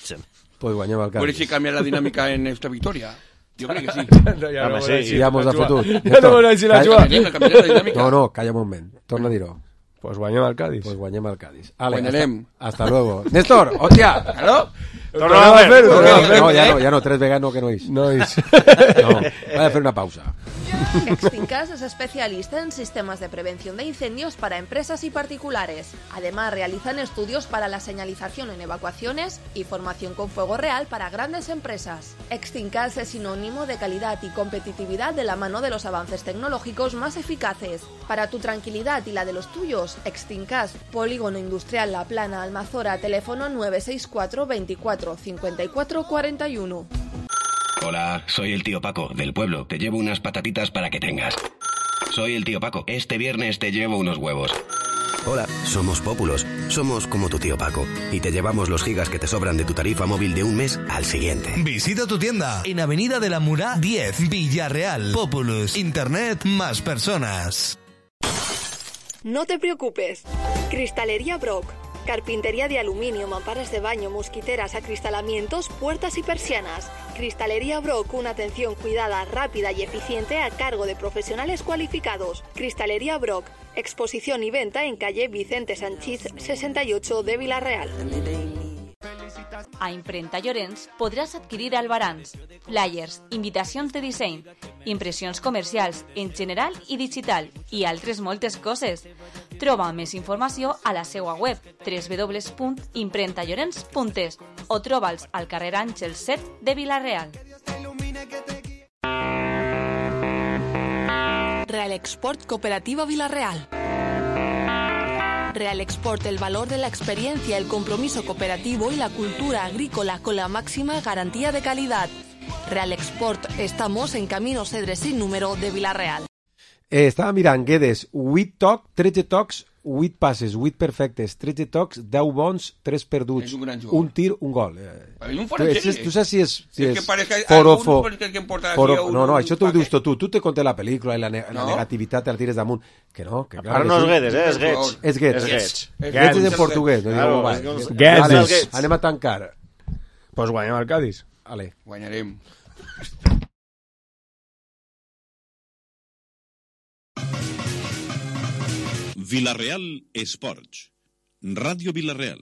Sí. Pues guanyem el Puede Cádiz. si cambiar la dinámica en esta victoria. Yo creo que sí. No, ja Home, no sí, vol dir Ja mos la ha Joa. fotut. Ja no vol dir la Calla. Joa. Cambiarem, cambiarem la dinàmica. No, no, calla un moment. Torna a dir-ho. Pues guanyem el Cádiz. Pues guanyem el Cádiz. Ale, Guanyarem. hasta, hasta luego. Néstor, hòstia! Claro. Tornem a fer, No, tornem a fer. no, ja no, ja no, tres vegades no, que no és. No és. No, va a fer una pausa. Extincas es especialista en sistemas de prevención de incendios para empresas y particulares. Además, realizan estudios para la señalización en evacuaciones y formación con fuego real para grandes empresas. Extincas es sinónimo de calidad y competitividad de la mano de los avances tecnológicos más eficaces. Para tu tranquilidad y la de los tuyos, Extincas, Polígono Industrial La Plana, Almazora, teléfono nueve seis cuatro veinticuatro cincuenta y cuatro cuarenta y uno. Hola, soy el tío Paco, del pueblo. Te llevo unas patatitas para que tengas. Soy el tío Paco. Este viernes te llevo unos huevos. Hola, somos Pópulos. Somos como tu tío Paco. Y te llevamos los gigas que te sobran de tu tarifa móvil de un mes al siguiente. Visita tu tienda en Avenida de la Murá diez, Villarreal. Populus. Internet más personas. No te preocupes. Cristalería Brock. Carpintería de aluminio, mamparas de baño, mosquiteras, acristalamientos, puertas y persianas. Cristalería Brock, una atención cuidada, rápida y eficiente a cargo de profesionales cualificados. Cristalería Brock, exposición y venta en calle Vicente Sanchís sesenta y ocho de Villarreal. A Imprenta Llorenç podràs adquirir albarans, flyers, invitacions de disseny, impressions comercials en general i digital i altres moltes coses. Troba més informació a la seva web w w w punt imprenta llorenç punt es o troba'ls al carrer Àngel set de Vila-real. Real Export Cooperativa Villarreal. Real Export, el valor de la experiencia, el compromiso cooperativo y la cultura agrícola con la máxima garantía de calidad. Real Export, estamos en Camino Cedre sin número de Villarreal. Eh, estava mirant Guedes, vuit tocs, tretze tocs, vuit passes, vuit perfectes, tretze tocs, deu bons, tres perduts, És un gran jugador. un tir, un gol. Eh, Hay un tu, fora de és, serie. tu saps si és, si Es és que parece que forofo, algún que importa foro, aquí a un- no, no, això t'ho un dius tu, tu te conté la pel·lícula i la, ne la No. negativitat te la tires damunt, que no, que clar, Ara que no és sí. Guedes, eh? És Guedes. És Guedes. És Guedes. Guedes és en portuguès, no Claro, diu, va, és que els- Guedes. Vale, Guedes. anem a tancar. Pues guanyem el Cádiz. Vale. Guanyarem. Villarreal Esports. Ràdio Villarreal.